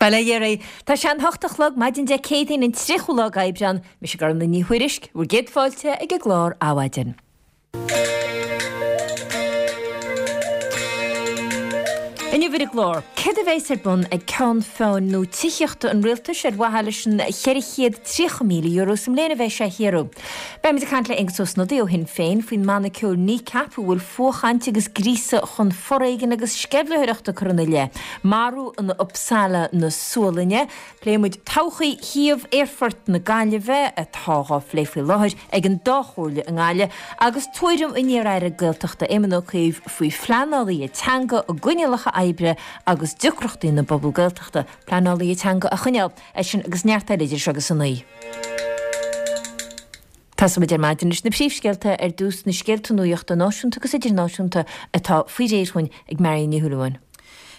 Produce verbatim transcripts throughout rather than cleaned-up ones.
Bail ó Dhia oraibh. Tá sé an hocht a chlog maidin Dé Céadaoin an tríochú lá d'Aibreán. Mise Gormlaith Ní Thuairisg, bhur gcéad fáilte ag an gclár Adhmhaidin. Inniu ar an gclár, céard a bheas ar bun ag Ceann Feadhain nua Tithíochta an Rialtais ar mhaithe leis an cheithre chéad tríocha míle euro sa mbliain a bheidh sé a shaothrú? Beimid ag caint le Aengus Ó Snodaigh ó Shinn Féin faoin mbanna ceoil Kneecap a bhfuil fuathchaint agus gríosadh chun foréigin agus sceimhlitheoireachta curtha ina leith. Marú in Uppsala na Sualainne. Pléifidh muid todhchaí shuíomh Aerfort na Gaillimhe atá dhá phlé faoi láthair ag an dá chomhairle i nGaillimh agus tuairim an iar-aire Gaeltachta Éamon Ó Cuív faoi phleanálaithe teanga, a gcoinníollacha oibre agus deacrachtaí na bpobal Gaeltachta pleanálaithe teanga a choinneáil. É sin agus neart eile idir seo agus a naoi. Tosóimid ar maidin leis na príomhscéalta ar dtús, na scéalta nuachta náisiúnta agus idirnáisiúnta atá faoi réir dhúinn ag Marion Ní Shúilleabháin.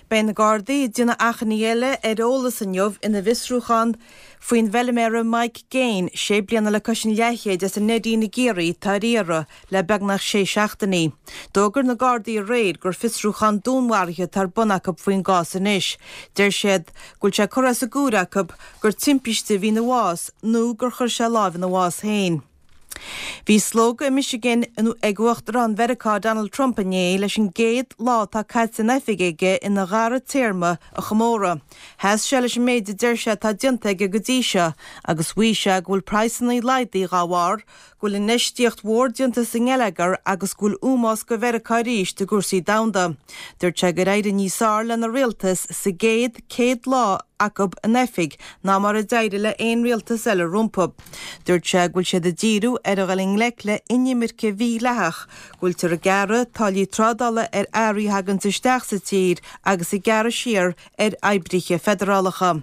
Beidh na Gardaí ag déanamh achainí eile ar eolas inniu ina bhfiosrúchán faoin bhfeilméara Mike Gaine, sé bliana le cois an leathchéid as an Neidín i gCiarraí atá ar iarraidh le beagnach sé seachtainí. D'fhógair na Gardaí aréir gur fiosrúchán dúnmharaithe atá ar bun acu faoin gcás anois. Deir siad go bhfuil sé curtha as a gcomhair acu gur timpiste a bhí ina bhás nó gur chuir sé lámh ina bhás féin. Bhí slógadh i Michigan ag Uachtarán Mheiriceá Donald Trump inné leis an gcéad lá atá caite in oifig aige ina dhara téarma a chomóradh. Sheas sé leis an méid a deir sé atá déanta aige go dtí seo agus mhaígh sé go bhfuil praghsanna laghdaithe dá bharr, go bhfuil infheistíocht mhór déanta sa ngeilleagar agus go bhfuil ómós do Mheiriceá arís i gcúrsaí domhanda. Dúirt sé gur éirigh níos fearr lena rialtas sa gcéad céad lá acu in oifig ná mar a d'éirigh le haon rialtas eile rompu. Dúirt sé go bhfuil siad ag díriú ar a dhul i ngleic le inimirce mhídhleathach, go bhfuiltear ag gearradh táillí trádála ar earraí a thaganns isteach sa tír agus ag gearradh siar ar oibrithe feidearálacha.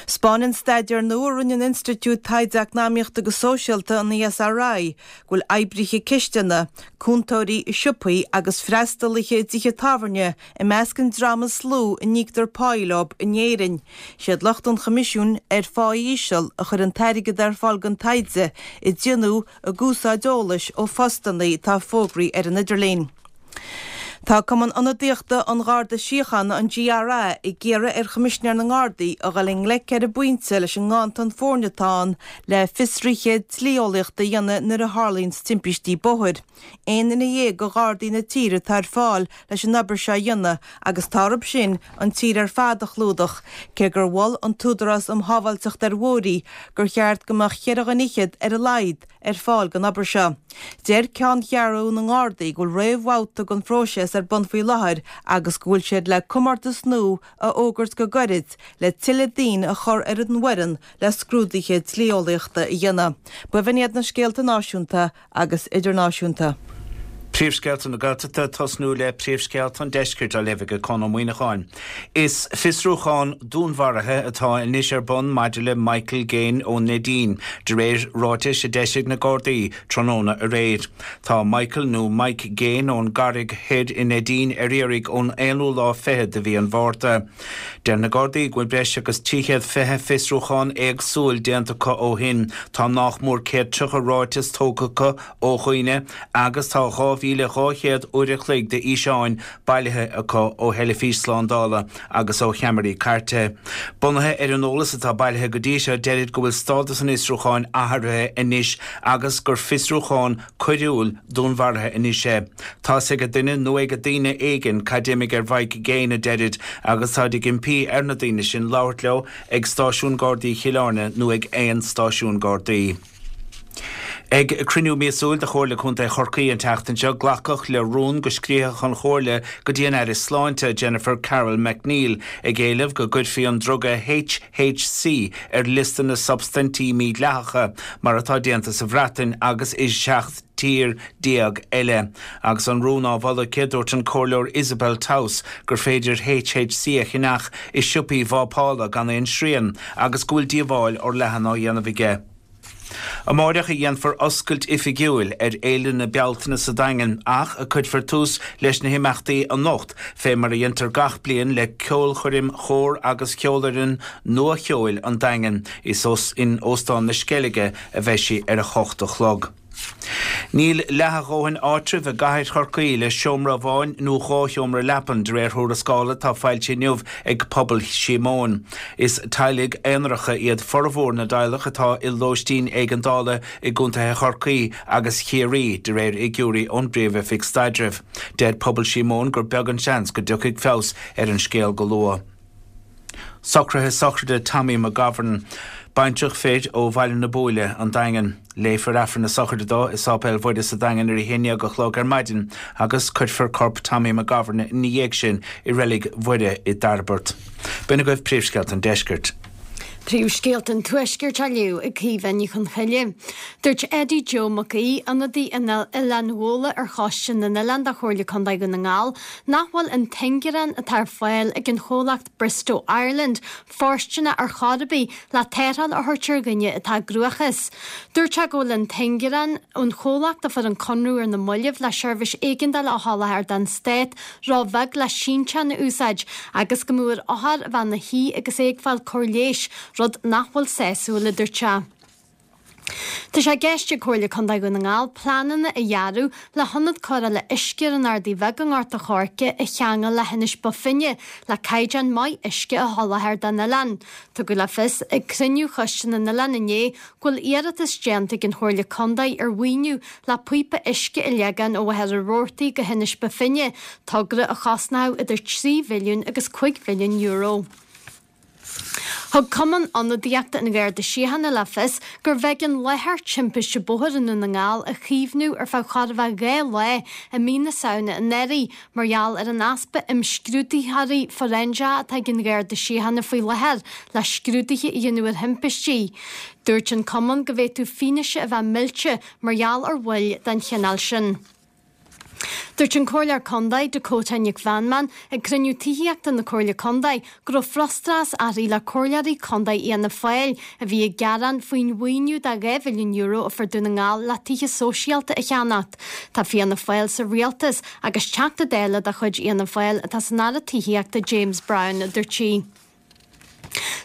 'Spáineann staidéar nua a rinne an Institiúid Taighde Eacnamaíochta agus Sóisialta, an ESRI, go bhfuil oibrithe cistine, cúntóirí i siopaí agus freastalaithe i dtithe tábhairne i measc an dream is lú a n-íoctar páí leo in Éirinn. Siad lucht an Choimisiúin ar Phá Íseal a chuir an t-airgead ar fáil don taighde a déanadh ag úsáid eolais ó phostanna atá fógraithe ar an idirlíon. Tá Cumann Ionadaíochta an Gharda Síochána, an GRA, ag iarraidh ar Choimisinéir na nGardaí a dhul i ngleic ar an bpointe leis an nganntan foirne atá ann le fiosruithe dlí-eolaíochta a dhéanamh nuair a tharlaíonns timpistí bóthair. Aon duine dhéag de Ghardaí na tíre atá ar fáil leis an obair seo a dhéanamh agus tá orthu sin an tír ar fad a chlúdach, cé gur mhol an tÚdarás um Shábháilteacht ar Bhóithre gur cheart go mbeadh cheithre dhuine fhichead ar a laghad ar fáil don obair seo. Deir Ceanncheathrú na nGardaí go bhfuil réamhbhabhta den phróiseas ar bun faoi láthair agus go bhfuil siad le comórtas nua a fhógairt go gairid le tuilleadh daoine a chur ar an bhfoireann le scrúduithe dlí-eolaíochta a dhéanamh. B'in iad na scéalta náisiúnta agus idirnáisiúnta. Príomhscéalta na Gaeltachta, tosnú le príomhscéalta an Deiscirt á léamh ag Conn Ó Muíneacháin. Is fiosrúchán dúnmharaithe atá anois ar bun maidir le Michael Gaine ón Neidín, de réir ráitis a d'eisigh na Gardaí tráthnóna aréir. Tá Michael nó Mike Gaine ón gCarraig Thoir i Neidín ar iarraidh ón aonú lá fichead de mhí an Mhárta. Deir na Gardaí go bhfuil breis agus trí chéad fiche fiosrúchán éagsúil déanta acu ó shin. Tá nách mór céad tríocha ráiteas tógtha acu ó dhaoine agus tá dhá mhíle dhá chéad uair a chloig de fhíseáin bailithe acu ó theilifís slándála agus ó cheamaraí cairte. Bunaithe ar an eolas atá bailithe go dtí seo, deirid go bhfuil stádas an fhiosrúcháin athraithe anois agus gur fiosrúchán coiriúil dúnmharaithe anois é. Tá's ag duine nó ag daoine éigin cad d'imigh ar Mhike Gaine, a deirid, agus táid ag impí ar na daoine sin labhairt leo ag Stáisiún Gardaí Chill Airne nó ag aon stáisiún Gardaí. Ag cruinniú míosúil de Chomhairle Contae Chorcaí an tseachtain seo, glacadh le rún go scríobhadh an Chomhairle go dtí an Aire Sláinte, Jennifer Carroll MacNeill, ag éileamh go gcuirfí an druga HHC ar liosta na substaintí mídhleathacha, mar atá déanta sa Bhreatain agus i seacht tír déag eile. Agus an rún á mholadh aici, dúirt an Comhairleoir Isabel Towse gur féidir HHC a cheannach i siopaí vápála gan aon srian agus go bhfuil díobháil fhorleathan á dhéanamh aige. Amáireach a dhéanfar oscailt oifigiúil ar Fhéile na Bealtaine sa Daingean ach cuirfear tús leis na himeachtaí anocht fé mar a dhéantar gach bliain le ceolchoirm chór agus cheolfhoireann nua-cheoil an Daingin. Is in Óstán na Sceilge a bheidh sí ar a hocht a chlog. Níl leath a dhóthain áitreabh i gcathair Chorcaí le seomra amháin nó dhá sheomra leapan de réir thuarascála atá foilsithe inniu ag Pobal Síomóin. Is teaghlaigh aonaracha iad formhór na dteaghlach atá i lóistín éigeandála i gcontaetha Chorcaí agus Chiarraí de réir fhigiúirí ón bPríomh-Oifig Staidrimh. Deir Pobal Síomóin gur beag an seans go dtiocfaidh feabhas ar an scéal go luath. Socruithe sochraide Tommy McGovern, baintreach fir ó Bhaile na Buaile an Daingean. Léifear Aifreann na sochraide dó i Sáipéal Mhuire sa Daingean ar a haon déag a chlog ar maidin agus cuirfear corp Tommy McGovern ina dhiaidh sin i Reilig Mhuire i dTairbeart. B'in agaibh príomhscéalta an deiscirt. Príomhscéalta an Tuaiscirt á léamh ag Caoimhe Ní Chonchoille. Dúirt Eddie Joe Mac Aoidh, ionadaí an Oileáin Bhóla ar Choiste na nOileán de Chomhairle Contae Dhún na nGall, nach bhfuil an t-ingearán atá ar fáil ag an chomhlacht Bristow Ireland fóirsteanach ar chor ar bith le tarrtháil a thabhairt ar dhuine atá i gcruachás. Dúirt sé go bhfuil an t-ingearán ón chomhlacht a fuair an conradh ar na mallaibh le seirbhís éigeandála a sholáthar don stát róbheag le sínteán a úsáid agus go mbeadh ar othar a bheith ina shuí agus é ag fáil cóir leighis, rud nach bhfuil sásúil, a dúirt sé. Tá sé i gceist ag Comhairle Contae Dhún na nGall pleananna a dhearadh le hionad cóireála uisce ar an Ardaidh Bheag i nGort a' Choirce a cheangal le hInis Bó Finne le caighdeán maith uisce a sholáthar don oileán. Tugadh le fios ag cruinniú Choiste na nOileán inné go bhfuil iarratas déanta ag an Chomhairle Contae ar mhaoiniú le píopa uisce a leagan ó Mhachaire Rabhartaigh go hInis Bó Finne, togra a chosnódh idir trí mhilliún agus cúig mhilliún euro. Thug Cumann Ionadaíochta an Gharda Síochána le fios gurbh éigean láthair timpiste bóthair i nDún na nGall a chaomhnú ar feadh chóir a bheith dhá lá i mí na Samhna anuraidh mar gheall ar an easpa imscrúdaitheoirí fóiréinseacha atá ag an Gharda Síochána faoi láthair le scrúduithe a dhéanamh ar thimpistí. Dúirt an Cumann go bhféadfadh fianaise a bheith millte mar gheall ar mhoill den chineál sin. Dúirt an Comhairleoir Contae, Dakota Nic Mheanman, ag cruinniú tithíochta na Comhairle Contae go raibh frustrachas uirthi le comhairleoirí contae Fhianna Fáil a bhí ag gearán faoin mhaoiniú de dhá mhilliún euro a fuair Dún na nGall le tithe sóisialta a cheannacht. Tá Fianna Fáil sa rialtas agus Teachta Dála de chuid Fhianna Fáil atá san Aire Tithíochta James Browne, a dúirt sí.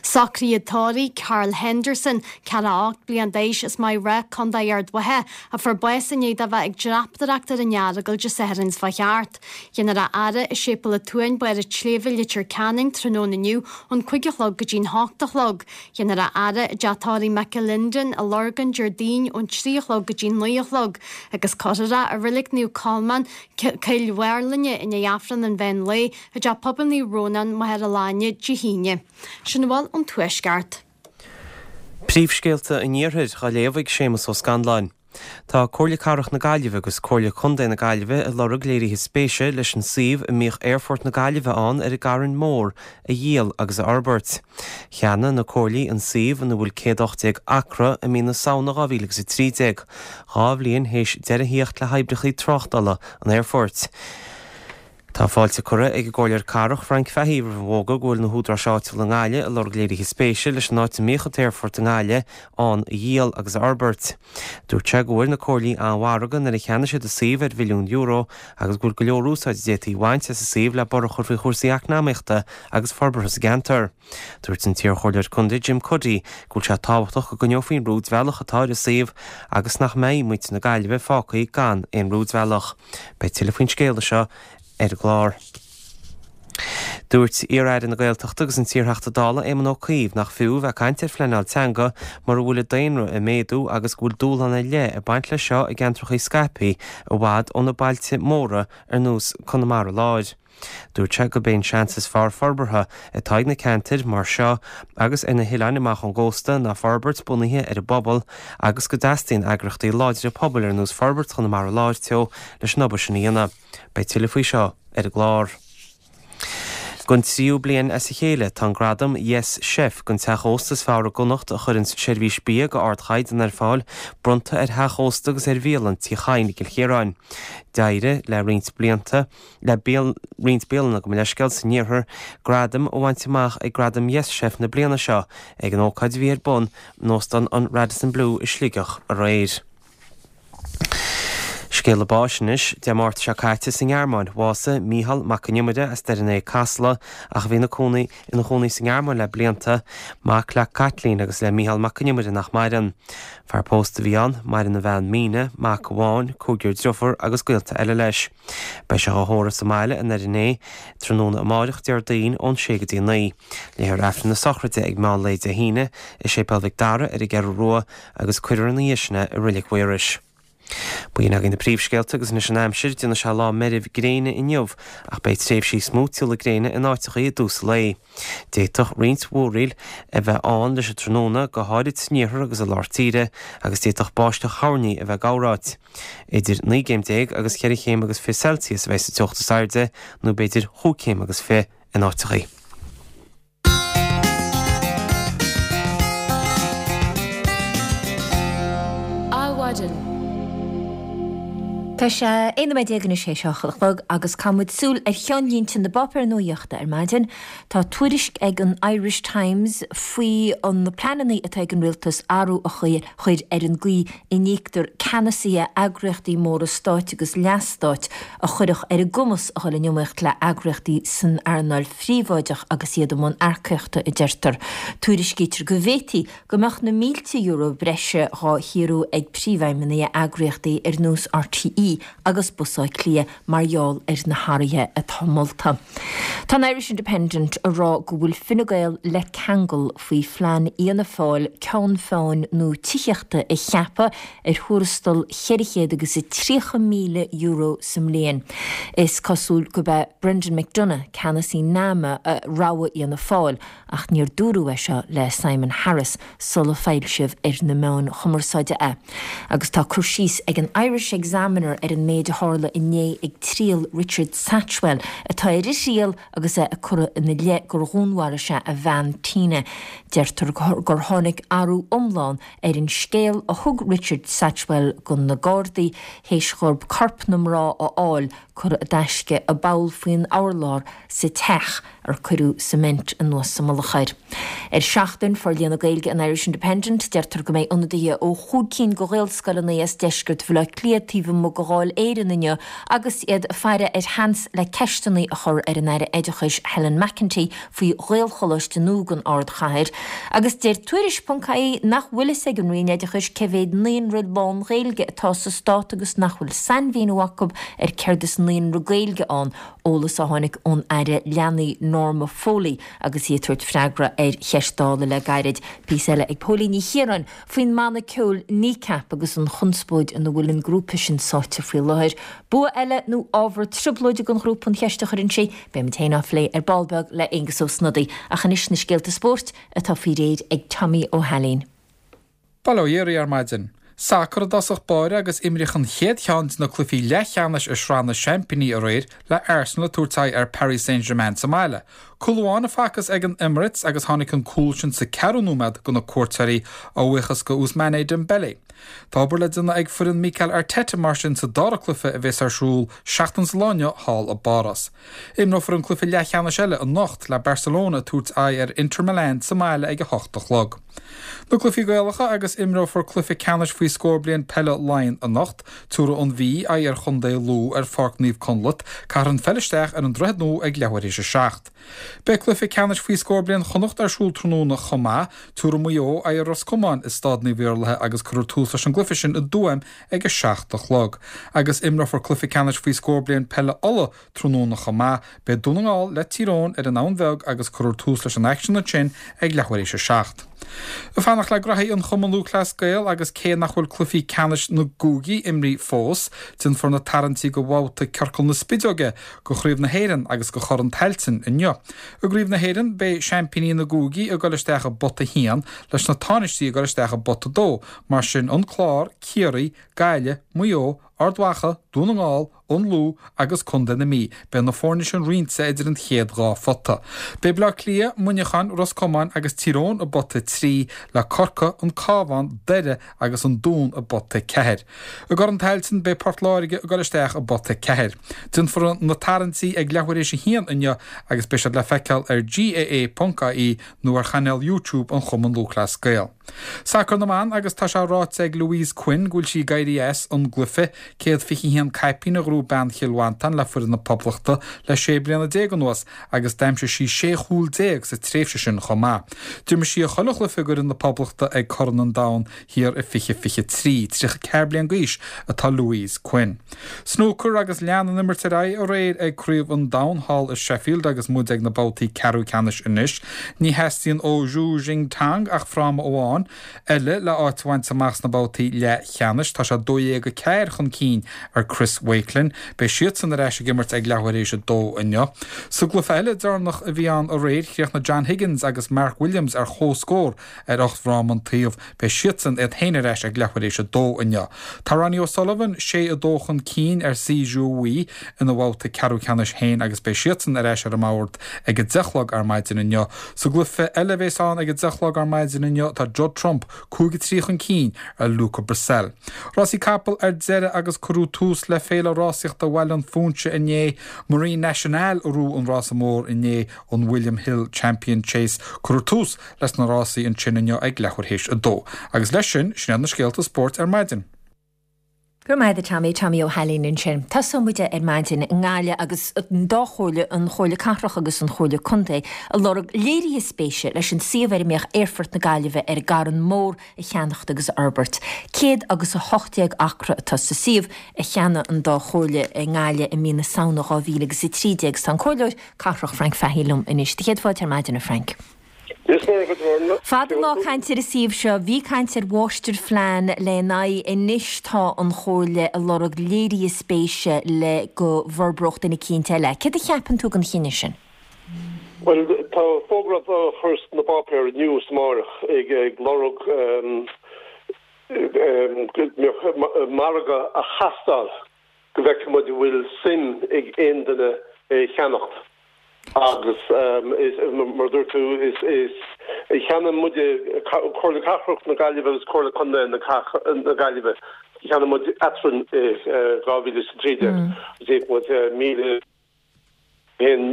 Socruithe tórraimh Carl Henderson, ceathracha a hocht bliain d'aois as Maigh Rath, Contae Ard Mhacha, a fuair bás i ndiaidh dó bheith ag dreapadóireacht ar an Earagail Dé Sathairn seo thart. Déanfar a fhaire i Séipéal an tSuain, Barr an tSléibhe, Leitir Ceanainn, tráthnóna inniu ón cúig a chlog go dtí'n hocht a chlog. Déanfar a fhaire i dTeach Tórraimh McAlinden i Lurgan Déardaoin ón trí a chlog go dtí'n naoi a chlog agus cuirfear é i Reilig Naomh Colmán, Cill Mharlainne, i ndiaidh Aifreann an mheán lae i dTeach Pobail Naomh Rónán, Machaire Láine, Dé hAoine. Sin a bhfuil ón Tuaisceart. Príomhscéalta an Iarthair á léamh ag Séamus Ó Scanláin. Tá Comhairle Cathrach na Gaillimhe agus Comhairle Contae na Gaillimhe ag lorg léirithe spéise leis an suíomh a mbíodh Aerfort na Gaillimhe ann ar an gCarn Mór a dhíol agus a fhorbairt. Cheannaigh na comhairlí an suíomh ina bhfuil céad ocht déag acra i mí na Samhna dhá mhíle agus a trí déag, dhá bhliain théis deireadh a theacht le hoibreacha tráchtála an aerfoirt. Tá fáilte curtha ag an gComhairleoir Cathrach Frank Fahey roimh an bhfógra go bhfuil na húdaráis áitiúla i nGaillimh ag lorg léirithe spéise leis an áit a mbíodh an t-aerfort i nGaillimh ann a dhíol agus a fhorbairt. Dúirt sé go bhfuair na comhairlí an-mhargadh nuair a cheannaigh siad an suíomh ar mhilliún euro agus go bhfuil go leor úsáid a d'fhéadfaí a bhaint as an suíomh le borradh a chur faoi chúrsaí eacnamaíochta agus forbartha sa gceantar. Dúirt an t-iarchomhairleoir contae Jim Cuddy go bhfuil sé tábhachtach go gcoinneofaí an rúidbhealach atá ar an suíomh agus nach mbeidh muintir na Gaillimhe fágtha gan aon rúidbhealach. Beidh tuilleadh faoin scéal seo ar an gclár. Dúirt iar-aire na Gaeltachta agus an t-iarTheachta Dála Éamon Ó Cuív nach fiú bheith ag caint ar phleanáil teanga mura bhfuil an daonra ag méadú agus go bhfuil dúshlán ar leith ag baint leis seo i gceantracha scaipthe i bhfad ó na bailte móra ar nós Conamara Láir. Dúirt sé gurb é an seans is fearr forbartha atá ag na ceantair mar seo agus ar na hoileáin amach ón gcósta ná forbairt bunaithe ar an bpobal agus go dteastaíonn eagraíochtaí láidre pobail ar nós Forbairt Chonamara Láir Teo leis an obair sin a dhéanamh. Beidh tuilleadh faoi seo ar an gclár. Don tríú bliain as a chéile tá an gradam Yes Chef don teach ósta is fearr i gConnacht a chuireann seirbhís bia go ardchaighdeán ar fáil bronnta ar theach ósta agus ar bhialann Tí Chadhain i gCill Chiaráin. D'éirigh le roinnt blianta le roinnt bialanna gabh mo leithscéal san iarthar gradam a bhaint amach ag Gradam Yes Chef na bliana seo ag an ócáid a bhí ar bun in óstán an Radisson Blu i Sligeach aréir. Scéala báis anois, Dé Máirt seo caite sa nGearmáin, bhásaigh Mícheál Mac an Iomaire as Doire an Fhéich, Casla, ach a bhí ina cónaí ina chónaí sa nGearmáin le blianta, mac le Caitlín agus le Mícheál Mac an Iomaire nach maireann. Fear pósta a bhí ann, maireann a bhean Míne, mac amháin, cúigear driofúr agus gaolta eile leis. Beidh sé á thórramh sa mbaile i nDoire an Fhéich tráthnóna amáireach Déardaoin ón sé go dtí a naoi. Léifear Aifreann na sochraide ag meán lae Dé hAoine i Séipéal Mhic Dara ar an gCeathrú Rua agus cuirfear ina dhiaidh sin é i Reilig Mhaorais. B'in againn na príomhscéalta agus anois an aimsir, déanfaidh sé lá meirbh gréine inniu ach beidh tréimhsí smúitiúla gréine in áiteachaí i dtús an lae. D'fhéadfadh roinnt mhúraíl a bheith ann leis an tráthnóna, go háirid san iarthar agus i lár tíre, agus d'fhéadfadh báisteach thoirní a bheith gabhráit. Idir naoi gcéim déag agus ceithre chéim agus fiche Celsius a bheidh sa teocht is airde, nó b'fhéidir chúig chéim agus fiche in áiteachaí. Adhmhaidin. Tá sé aon nóiméad déag anois théis a hocht a chlog agus caithfidh muid súil ar cheannlínte na bpáipéar nuaíochta ar maidin. Tá tuairisc ag an Irish Times faoi na pleananna atá ag an rialtas athrú a chur ar an gcaoi a n-íoctar ceannasaithe eagraíochtaí móra stáit agus leathstáit a chuirfeadh ar a gcumas a dhul in iomaíocht le heagraíochtaí san earnáil phríobháideach agus iad i mbun earcaíochta, a deirtear. Tuairiscítear go bhféadfaí go mbeadh na mílte euro breise dhá shaothrú ag príomhfheidhmeannaigh eagraíochtaí ar nós RTÉ agus Bus Átha Cliath mar gheall ar na hathruithe atá molta. Tá an Irish Independent a rá go bhfuil Fine Gael le ceangal faoi phlean Fhianna Fáil ceann feadhain nua tithíochta a cheapadh ar thuarastal cheithre chéad agus a tríocha míle euro sa mbliain. Is cosúil gurb é Brendan McDonagh, ceannasaí NAMA, a rogha Fhianna Fáil ach níor dúradh é seo le Simon Harris sula foilsíodh ar na meáin chumarsáide é. Agus tá cur síos ag an Irish Examiner ar an méid a tharla inné ag triail Richard Satchwell, atá ar thriail agus é ag cur ina leith gur dhúnmharaigh sé a bhean Tina. Deirtear gur tháinig athrú iomlán ar an scéal a thug Richard Satchwell go na Gardaí théis dhóibh corp na mná a fháil curtha i dtaisce i bpoll faoin urlár sa teach ar cuireadh cement anuas sa mullach air. Ar Seachtain, Forlíonadh Gaeilge an Irish Independent, deirtear go mbeidh ionadaithe ó chúig cinn de Ghaelscoileanna as deisceart Bhaile Átha Cliath taobh amuigh de Dháil Éireann inniu agus iad ag faire ar sheans le ceisteanna a chur ar an Aire Oideachais Helen McEntee faoi Ghaelcholáiste nua don ardchathair. Agus deir Tuairisc ponc ie nach bhfuil fhios ag an Roinn Oideachais cé mhéad naíonra lán-Ghaeilge atá sa stát agus nach bhfuil sainmhíniú acu ar céard is naíonra Gaeilge ann, eolas a tháinig ón Aire Leanaí Norma Foley agus í ag tabhairt freagra ar cheist Dála le gairid. Píosa eile ag Póilín Ní Chiaráin faoin mbanna ceoil Kneecap agus an chonspóid ina bhfuil an grúpa sin sáite faoi láthair. Bua eile nó ábhar trioblóide don ghrúpa an cheist a chuireann sí? Beimid féin á phlé ar ball beag le Aengus Ó Snodaigh. Ach anois na scéalta spóirt atá faoi réir ag Tommy Ó hAilín. Bail ó Dhia oraibh ar maidin. Sacar i dtosach báire agus imríodh an chéad cheann de na cluichí leathcheannais i Sraith na Seaimpíní aréir le Arsenal ag tabhairt aghaidh ar Paris Saint-Germain sa mbaile. Cúl amháin a facthas ag an Emirates agus tháinig an cúl sin sa ceathrú nóiméad do na cuairteoirí a bhuíochas go Ousmane Dembele. Tá obair le déanamh ag foireann Mikel Arteta mar sin sa dara cluiche a bheas ar siúl seachtain sa lá inniu thall i bPáras. Imreofar an cluiche leathcheannais eile anocht le Barcelona ag tabhairt aghaidh ar Inter Milan sa mbaile ag a hocht a chlog. Na cluichí Gaelacha agus imreofar cluiche ceannais faoi scór bliain peile Laighean anocht. Tabharfaidh an Mhí aghaidh ar chontae Lú ar Pháirc Naomh Conleth, caithfear an pheil isteach ar an Droichead Nua ag leathuair théis a seacht. Beidh cluiche ceannais faoi scór bliain Chonnacht ar siúl tráthnóna chomh maith. Tabharfaidh Maigh Eo aghaidh ar Ros Comáin i Staid Naomh Iarlaithe agus cuirfear tús leis an gcluiche sin i dTuaim ag a seacht a chlog. Agus imreofar cluiche ceannais faoi scór bliain peile Uladh tráthnóna chomh maith. Beidh Dún na nGall le Tír Eoghain ar an Abhainn Bheag agus cuirfear tús leis an aicsean ansin ag leathuair théis a seacht. Ag fanacht le graithí an Chumann Lúthchleas Gael agus cé nach bhfuil cluichí ceannais na gcúigí imrithe fós, déanfar na tarraingtí do bhabhta Ciorcal na Spideoige, do Chraobh na hÉireann agus do Chorn Tailteann inniu. I gCraobh na hÉireann, beidh seaimpíní na gcúigí ag dul isteach i bpota a haon, leis na tánaistí ag dul isteach i bpota a dó, mar sin An Clár, Ciarraí, Gaillimh, Maigh Eo, Ard Mhacha, Dún na nGall, An Lú agus Contae na Mí. Beidh na foirne sin roinnte idir an chéad dhá phota. Beidh Baile Átha Cliath, Muineachán, Ros Comáin agus Tír Eoghain i bpota a trí, le Corcaigh, An Cabhán, Doire agus An Dún i bpota a ceathair. I gCorn Tailteann beidh Port Láirge ag dul isteach i bpota a ceathair. Déanfar na tarraingtí ag leathuair théis a haon inniu agus beidh siad le feiceáil ar GAA.ie nó ar chainéal YouTube an Chumann Lúthchleas Gael. Sacar na mban agus tá sé ráite ag Louise Quinn go bhfuil sí ag éirí as an gcluiche céad fiche a haon caipín a ghnóthaigh bean Chill Mhantáin le foireann na Poblachta le sé bliana déag anuas agus d'aimsigh sí sé chúl déag sa tréimhse sin chomh maith. D'imir sí chuile chluiche d'fhoireann na Poblachta ag Corn an Domhain thiar i fiche fiche trí. Tríocha ceathair bliain d'aois atá Louise Quinn. Snúcar agus lean an imirt ar aghaidh aréir ag Craobh an Domhain thall i Sheffield agus muid ag na babhtaí ceathrú ceannais anois. Ní theastaíonn ó Zhu Jingtang ach fráma amháin eile le áit a bhaint amach sna babhtaí leathcheannais. Tá sé dó dhéag a ceathair chun cinn ar Chris Wakelin. Beidh siadsan ar ais ag imirt ag leathuair théis a dó inniu. Sa gcluiche eile deireanach a bhí ann aréir, chríochnaigh John Higgins agus Mark Williams ar chomhscór ar ocht bhfráma an taobh. Beidh siadsan iad féin ar ais ag leathuair théis a dó inniu. Tá Ronnie O'Sullivan sé a dó chun cinn ar Si Zhu Wei ina bhabhta ceathrú ceannais féin agus beidh siadsan ar ais ar an mbord ag a deich a chlog ar maidin inniu. Sa gcluiche eile a bheas ann ag a deich a chlog ar maidin inniu tá Judd Trump cúig a trí chun cinn ar Luca Brecel. Rásaí capall ar deireadh agus cuireadh tús le Féile Rásaíochta Bhaile an Phúinse inné, Marine Nationale a ghnóthaigh an rása mór inné an William Hill Champion Chase. Cuireadh tús leis na rásaí ansin inniu ag leathuair théis a dó. Agus leis sin, sin iad na scéalta spóirt ar maidin. Go raibh maith agat Tommy, Tommy Ó hAilín ansin. Tosóidh muid ar maidin i nGaillimh agus an dá chomhairle, an Chomhairle Cathrach agus an Chomhairle Contae, ag lorg léirithe spéise leis an suíomh ar a mbeadh Aerfort na Gaillimhe ar an gCarn Mór a cheannacht agus a fhorbairt. Céad agus a hocht déag acra atá sa suíomh a cheannaigh an dá chomhairle i nGaillimh i mí na Samhna dhá mhíle agus a trí déag. Tá an Comhairleoir Cathrach Frank Fahey liom anois. Do chéad fáilte ar maidin, a Frank. Fada an lá caint ar an suíomh seo, bhí caint ar mháistirphlean lena aghaidh, anois tá an Chomhairle ag lorg léirithe spéise le go bhforbródh duine eicínt eile. Céard a cheapann tú den chinneadh sin? Bhuel, tá fógra á chur sna páipéir inniu is amárach ag lorg go mbeadh margadh a thástáil go bhfeicfidh muid an bhfuil suim ag aon duine é a cheannacht. Agus mar a dúirt tú, is cheannaigh muide, Comhairle Cathrach na Gaillimhe agus Comhairle Contae na Gaillimhe, cheannaigh muid eadrainn i dhá mhíle is a trí déag agus íoc muid míle haon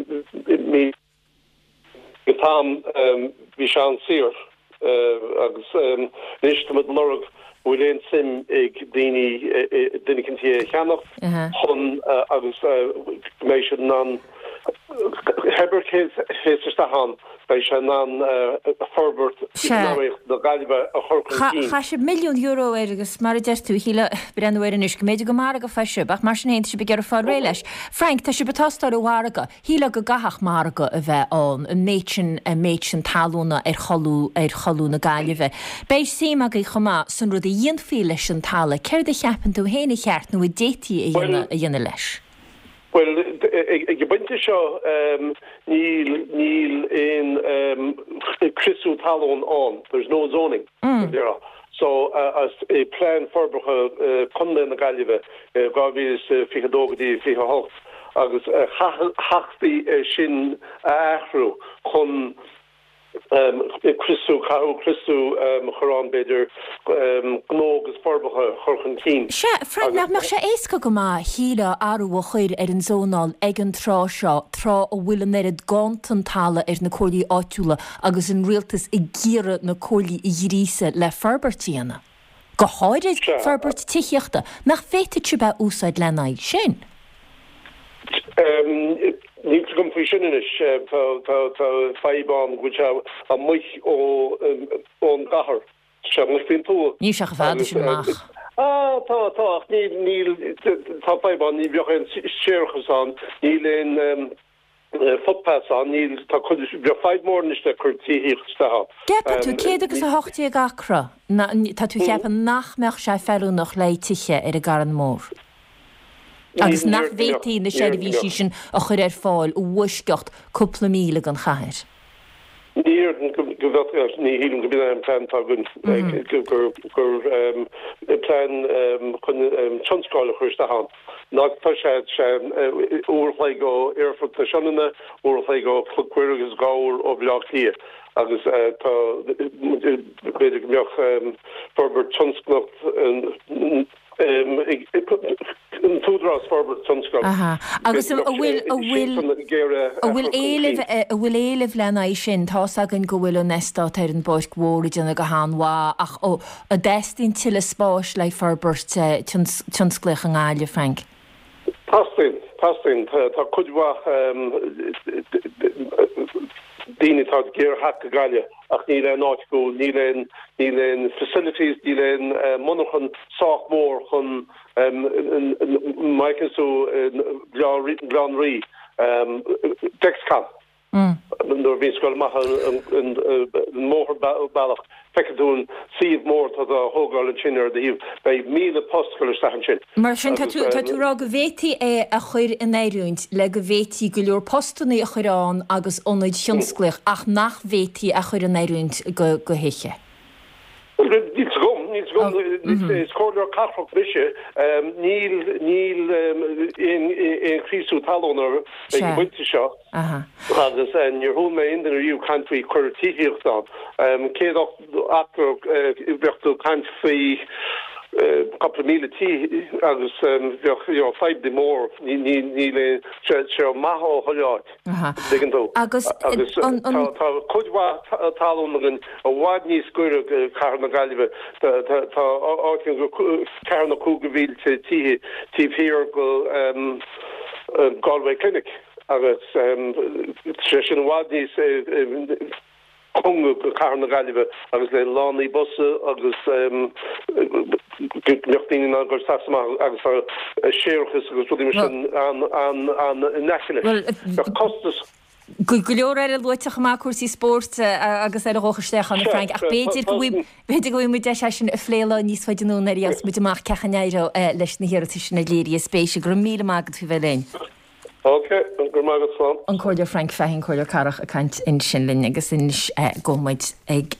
míle ag an t-am bhí sé an-saor agus anois tá muid ag lorg an bhfuil aon suim ag daoine duine eicínt é a cheannacht chun agus go mbeidh siad in ann cibé cé a théas isteach ann beidh sé in ann forbairt eacnamaíoch na Gaillimhe a chur chun cinn. Chaith sibh milliún euro air agus mar a deir tú, shílfeá breathnú air anois go mb'fhéidir gur margadh fá sibh ach mar sin féin tá sibh ag iarraidh fáil réidh leis. Frank, tá sibh ag tástáil an mhargaidh. Shílfeá go gcaithfeadh margadh a bheith ann, an méid sin, an méid sin talúna ar cholú, ar cholú na Gaillimhe. Beidh suim agaibh chomh maith san rud a dhéanfaí leis an talamh. Céard a cheapann tú féin a cheart nó a d'fhéadfaí a dhéanamh, a dhéanamh leis? Bhuel, ag an bpointe seo níl, níl aon criosú talún ann, there's no zoning, mar a déarfá. So, as Plean Forbartha Contae na Gaillimhe dhá mhíle is fiche a dó go dtí fiche a hocht agus chaithfí é sin a athrú chun criosú, caithfidh criosú a chur ann b'fhéidir, gnó agus forbartha a chur chun cinn. Sea, Frank, nach mbeadh sé éasca go maith, shílfeá, athrú a chur ar an zónáil ag an tráth seo, tráth a bhfuil an oiread ganntan talaimh ar na comhairlí áitiúla agus an rialtas ag iarraidh na comhairlí a ghríosadh le forbairt a dhéanamh, go háirid forbairt tithíochta, nach bhféadfadh sibh é a úsáid lena aghaidh sin? Níl fhios agam faoi sin anois. Tá fadhb ann go bhfuil sé amuigh ón gcathair. Tá sé amuigh faoin tuath. Níl sé chomh fada sin amach. Á, tá, tá, ach níl, níl, tá fadhb ann, ní bheadh aon séarachas ann, níl aon footpaths ann, níl, tá cuid, bheadh fadhb mór anois le cur tithíocht isteach ann. Gceapann tú, céad agus a hocht déag acra, tá tú a cheapadh nach mbeadh sé feiliúnach le tithe ar an gCarn Mór? Agus nach bhféadfaí na seirbhísí sin a chur ar fáil i bhfoisceacht cúpla míle den chathair? Ní déarfainn go bhféadfaí, ní shílim go b'in é an plean atá againn, gur plean chun tionscal a chur isteach ann. Ná tá sé uair a chloig ó Aerfort na Sionainne, uair a chloig ó Chnoc Mhuire agus dhá uair ó Bhaile Átha Cliath agus tá, b'fhéidir go mbeadh forbairt tionsclaíocht, An tÚdarás Forbartha Tionscail. Aha. Agus an bhfuil an bhfuil an bhfuil éileamh an bhfuil éileamh lena aghaidh sin? Tá's againn go bhfuil an eastát ar an bPáirc Mhór ag déanamh go han-mhaith ach an dteastaíonn tuilleadh spáis le forbairt tionsclaíoch i nGaillimh, Frank? Teastaíonn, teastaíonn. Tá cuid mhaith daoine atá ag iarraidh theacht go Gaillimh ach níl aon áit acu, níl aon, níl aon facilities, níl aon monarchan sách mór chun, má fheiceann tú Gleann Rí, Dexcom. Nuair a bhíonns ag dul amach an mótarbealach, feiceann tú an suíomh mór atá á thógáil ansin ar do thaobh. Beidh míle post ag dul isteach ansin. Mar sin, tá tú ag rá go bhféadfaí é a chur in oiriúint le go bhféadfaí go leor postanna a chur ann agus ionaid thionsclaíoch ach nach bhféadfaí a chur in oiriúint go thithe. Níl 's agam, níl 's agam, is comhairleoir cathrach mise, níl, níl aon chriosú talún ag an bpointe seo agus níor chuala mé aon duine riamh caint faoi cur tithíocht ann. Céad ach bheadh tú ag caint faoi cúpla míle tí agus bheadh you know fadhb mór, níl aon, sé maith ó chuile áit, tuigeann tú. Agus tá cuid mhaith talún againn i bhfad níos gaire go cathair na Gaillimhe, tá áit ann go ceathair nó cúig de mhílte tithe taobh thiar go Galway Clinic agus sé sin i bhfad níos cóngaraí go cathair na Gaillimhe agus le lánaí busa agus go mbeadh daoine in ann dul isteach is amach agus tá séarachas agus rudaí mar sin an in aice leis. Bheadh costas. Go leor eile luaite chomh maith, cúrsaí spóirt agus eile dhócha isteach ann, a Frank, ach b'fhéidir go b'fhéidir go bhfaighidh muid deis é sin a phlé lá níos faide anonn nuair a gheobhas muid amach cén chaoi a n-éireoidh leis na hiarratais sin a léirithe spéise. Go raibh míle maith agat faoi bheith linn. Ok, go raibh maith agat, slán. An Comhairleoir Frank Fahey, an Comhairleoir Cathrach ag caint ansin linn agus anois gabhfaidh muid ag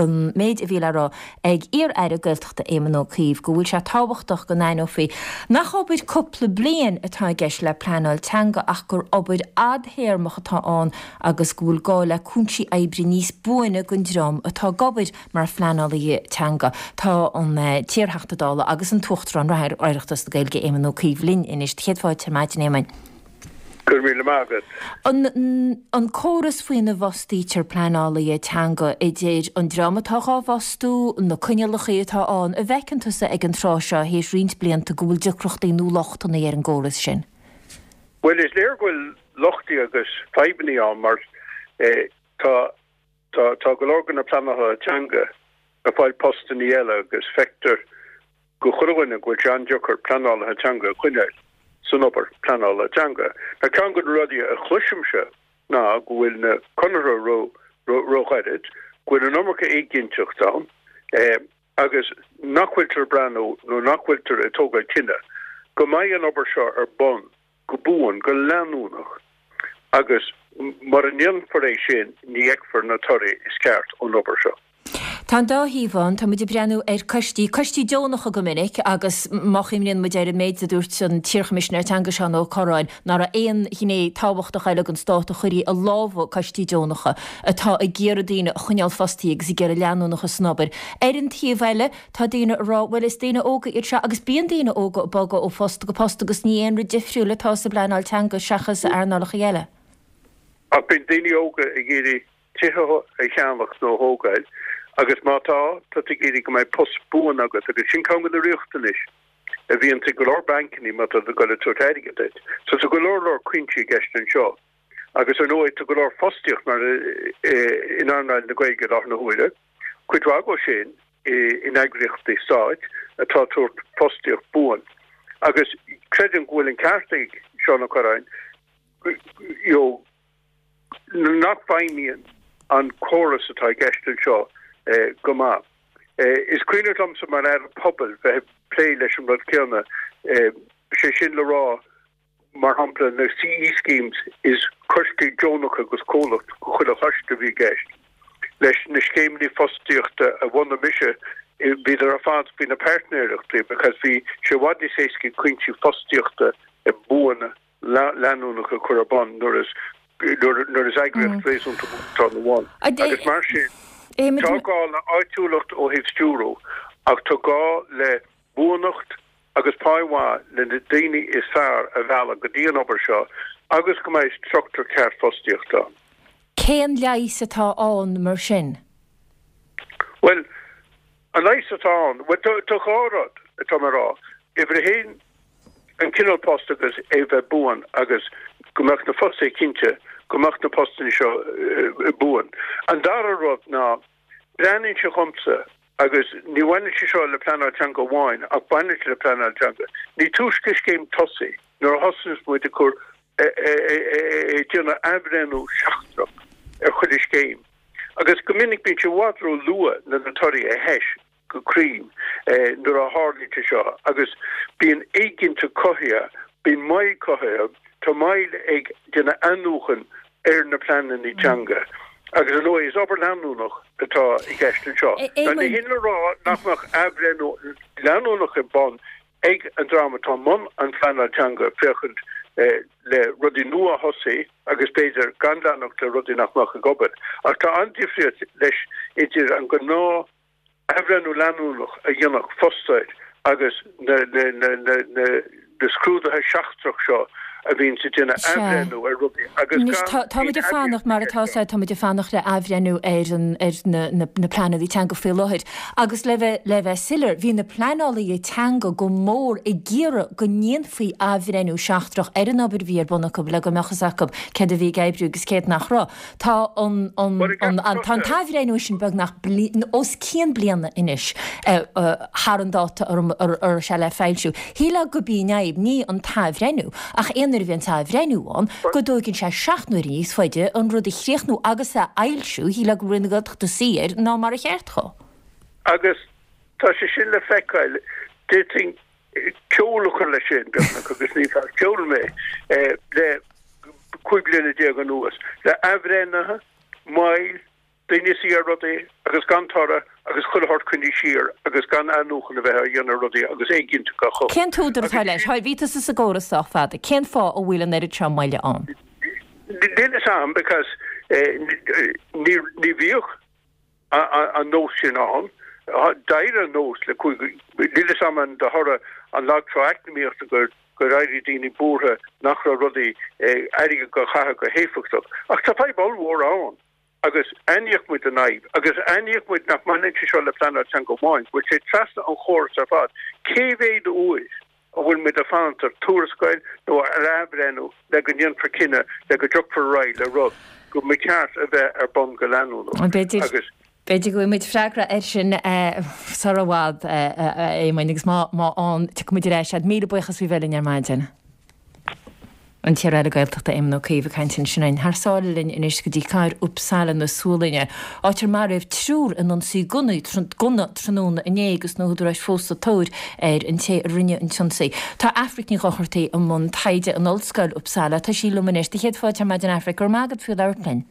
an méid a bhí le rá ag iar-aire Gaeltachta Éamon Ó Cuív go bhfuil sé tábhachtach go n-aithneofaí nach obair cúpla bliain atá i gceist le pleanáil teanga ach gur obair fhadthéarmach atá ann agus go bhfuil gá le cúinsí oibre níos buaine don dream atá ag obair mar phleanálaithe teanga. Tá an t-iarTheachta Dála agus an tUachtarán reatha ar Oireachtas na Gaeilge Éamon Ó Cuív linn anois. Céad fáilte ar maidin, Éamoin. Go raibh míle maith agat. An córas faoina bhfostaítear pleanálaithe teanga, idir an dream atá dhá bhfostú, na coinníollacha atá ann, an bhfeiceann tusa ag an tráth seo, théis roinnt blianta, go bhfuil deacrachtaí nó lochtanna ar an gcóras sin? Bhuel, is léir go bhfuil lochtaí agus fadhbanna ann mar tá tá go leor de na pleanálaithe teanga ag fáil postanna eile agus feictear go chuile dhuine go bhfuil sé an-deacair pleanálaithe teanga a choinneáil san obair pleanála teanga. Now ceann de na rudaí a chloisimse ná go bhfuil na conarthaí ró-ghairid, go bhfuil an iomarca éiginnteacht ann agus nach bhfuiltear ag breathnú nó nach bhfuiltear ag tógáil cinneadh go mbeidh an obair seo ar bun go buan, go leanúnach agus mura ndéanfar é sin ní fheicfear na torthaí is ceart ón obair seo. Tá an dá thaobh ann. Tá muid ag breathnú ar coistí, coistí deonacha go minic agus má chuimhníonn muid ar an méid a dúirt an t-iarChoimisinéir Teanga Seán Ó Corráin, nach raibh aon ghné tábhachtach eile den stát a chuirfí i lámha coistí deonacha atá ag iarraidh daoine a choinneáil fostaithe agus ag iarraidh leanúnachas san obair. Ar an taobh eile, tá daoine ag rá, bhuel is daoine óga iad seo agus bíonn daoine óga ag bogadh ó phost go post agus ní aon rud difriúil atá sa bpleanáil teanga seachas earnálacha eile. Ach bíonn daoine óga ag iarraidh tithe a cheannach nó a thógáil agus má tá, tá tú ag iarraidh go mbeidh post buan agat agus sin ceann de na riachtanais a bhíonn ag go leor bancannaí má tá tú ag dul ag tabhairt airgead duit. So tá go leor leor cuinsí i gceist anseo agus ar ndóigh tá go leor fostaíocht mar in earnáil na Gaeilge i láthair na huaire, cuid mhaith acu sin in eagraíochtaí stáit atá ag tabhairt fostaíocht buan agus creidim go bhfuil an ceart ag Seán Ó Corráin you know, nach bhfeidhmíonn an córas atá i gceist anseo go maith. Is cuimhin liomsa mar Aire Pobail bheith ag plé leis an rud céanna, sé sin le rá, mar shampla, na CE schemes, is coistí deonacha agus comhlacht go chuile choiste a bhí i gceist. Leis na scéimeanna fostaíochta a bhunaigh mise, bhíodar ar fad faoi na páirtnéireachtaí because bhí sé i bhfad níos éasca cúinsí fostaíochta buana leanúnach a chur ar bun nuair is nuair is eagraíocht réasúnta mór atá ina bhun. Agus mar sin, tá gá le áitiúlacht ó thaobh stiúrú ach tá gá le buanacht agus pá mhaith le na daoine is fearr a mhealladh go dtí an obair seo agus go mbeidh struchtúr ceart fostaíochta ann. Cén leigheas atá ann mar sin? Bhuel, an leigheas atá ann, bhuel, tá tá dhá rud atá mé a rá. Uimhir a haon, an cineál post agus é bheith buan agus go mbeadh na fostaithe cinnte go mbeadh na postanna seo buan. An dara rud ná, breathnaíonn sé dhomsa, agus ní bhaineann sé seo le pleanáil teanga amháin ach baineann sé le pleanáil teanga, ní túisce scéim tosaithe nuair a thosaíonns muid ag cur ag déanamh athbhreithniú seachtrach ar chuile scéim agus go minic bíonn sé i bhfad ró-luath le na torthaí a thomhas go cruinn nuair a tharlaíonn sé seo agus bíonn éiginnteacht cothaithe, bíonn moill cothaithe, tá moill ag déanamh athnuachan ar na pleananna teanga agus ar ndóigh is obair leanúnach atá i gceist anseo. Now ní hin le rá nach mbeadh athbhreithniú leanúnach ar bun ag an dream atá i mbun an phleanáil teanga féachaint le rudaí nua a thosaí agus b'fhéidir gan leanacht le rudaí nach mbeadh ag obair. Ach tá an-difríocht leis idir an gnáth athbhreithniú leanúnach a dhéanfadh fostóir agus na scrúduithe seachtrach seo a bhíonns ag déanamh athbhreithniú ar rudaí agus Anois gan tá muid aon ag fanacht, mar atá sé, tá muid ag fanacht le athbhreithniú ar an, ar na, na, na pleananna teanga faoi láthair. Agus le bheith, le bheith soiléir, bhí na pleanálaithe teanga go mór ag iarraidh go ndéanfaí athbhreithniú seachtrach ar an obair a bhí ar bun acu le go mbeadh fhios acu céard a bhí ag oibriú agus céard nach raibh. Tá an, an, an, an, tá an t-athbhreithniú sin beagnach bliain, os cionn bliana anois thar an dáta a raibh sé le foilsiú. Shílfeá gurb í an fhadhb, ní an t-athbhreithniú, ach aon uair a bhíonn athbhreithniú ann, go dtóigeann sé seacht n-uaire níos faide an rud a chríochnú agus a fhoilsiú, shílfeá go raibh Roinn na Gaeltachta saor ná mar a cheart dhó. Agus tá sé sin le feiceáil, d'fhéadfainn ceol a chur leis sin, beagnach, agus ní fear ceoil mé, le cúig bliana déag anuas, le athbhreithnithe, moill, daoine ag suí ar rudaí agus gan toradh agus chuile shórt coinnithe siar agus gan athnuachan a bheith á dhéanamh ar rudaí agus éiginnteacht á chothú. Cén t-údar atá leis? Bhí tusa sa gcóras sách fada. Cén fáth a bhfuil an oiread seo moille ann? Níl fhios a'm because ní ní bhíodh an nós sin ann. D'éirigh an nós le cúig, níl fhios a'm an de thoradh an lag trá eacnamaíochta gur gur éirigh daoine buartha nach raibh rudaí, airgead á chaitheamh go héifeachtach. Ach tá fadhb ollmhór ann agus aithníodh muid an fhadhb agus aithníodh muid nach mbaineann sé seo le pleanáil teanga amháin, go bhfuil sé trasna an chórais ar fad. Cé mhéad uair a bhfuil muid ag fanacht ar tuarascáil nó ar athbhreithniú le go ndéanfar cinneadh le go dtiocfar ar aghaidh le rud go mba cheart a bheith ar bun go leanúnach agus. B'fhéidir go bhfaighidh muid freagra air sin sar i bhfad, a Éamoinn, agus má fhaigheann, tiocfaidh muid ar ais agat. Míle buíochas faoi bheith linn ar maidin. An t-iar-aire Gaeltachta Éamon Ó Cuív ag caint ansin linn. Thar sáile linn anois go dtí cathair Uppsala na Sualainne, áit ar maraíodh triúr in ionsaí gunna tráthnóna inné agus na húdaráis fós sa tóir ar an té a rinne an t-ionsaí. Tá Aifric Ní Dhochartaigh i mbun taighde in Ollscoil Uppsala. Tá sí liom anois. Do chéad fáilte ar maidin Aifric. Go raibh maith agat faoi labhairt linn.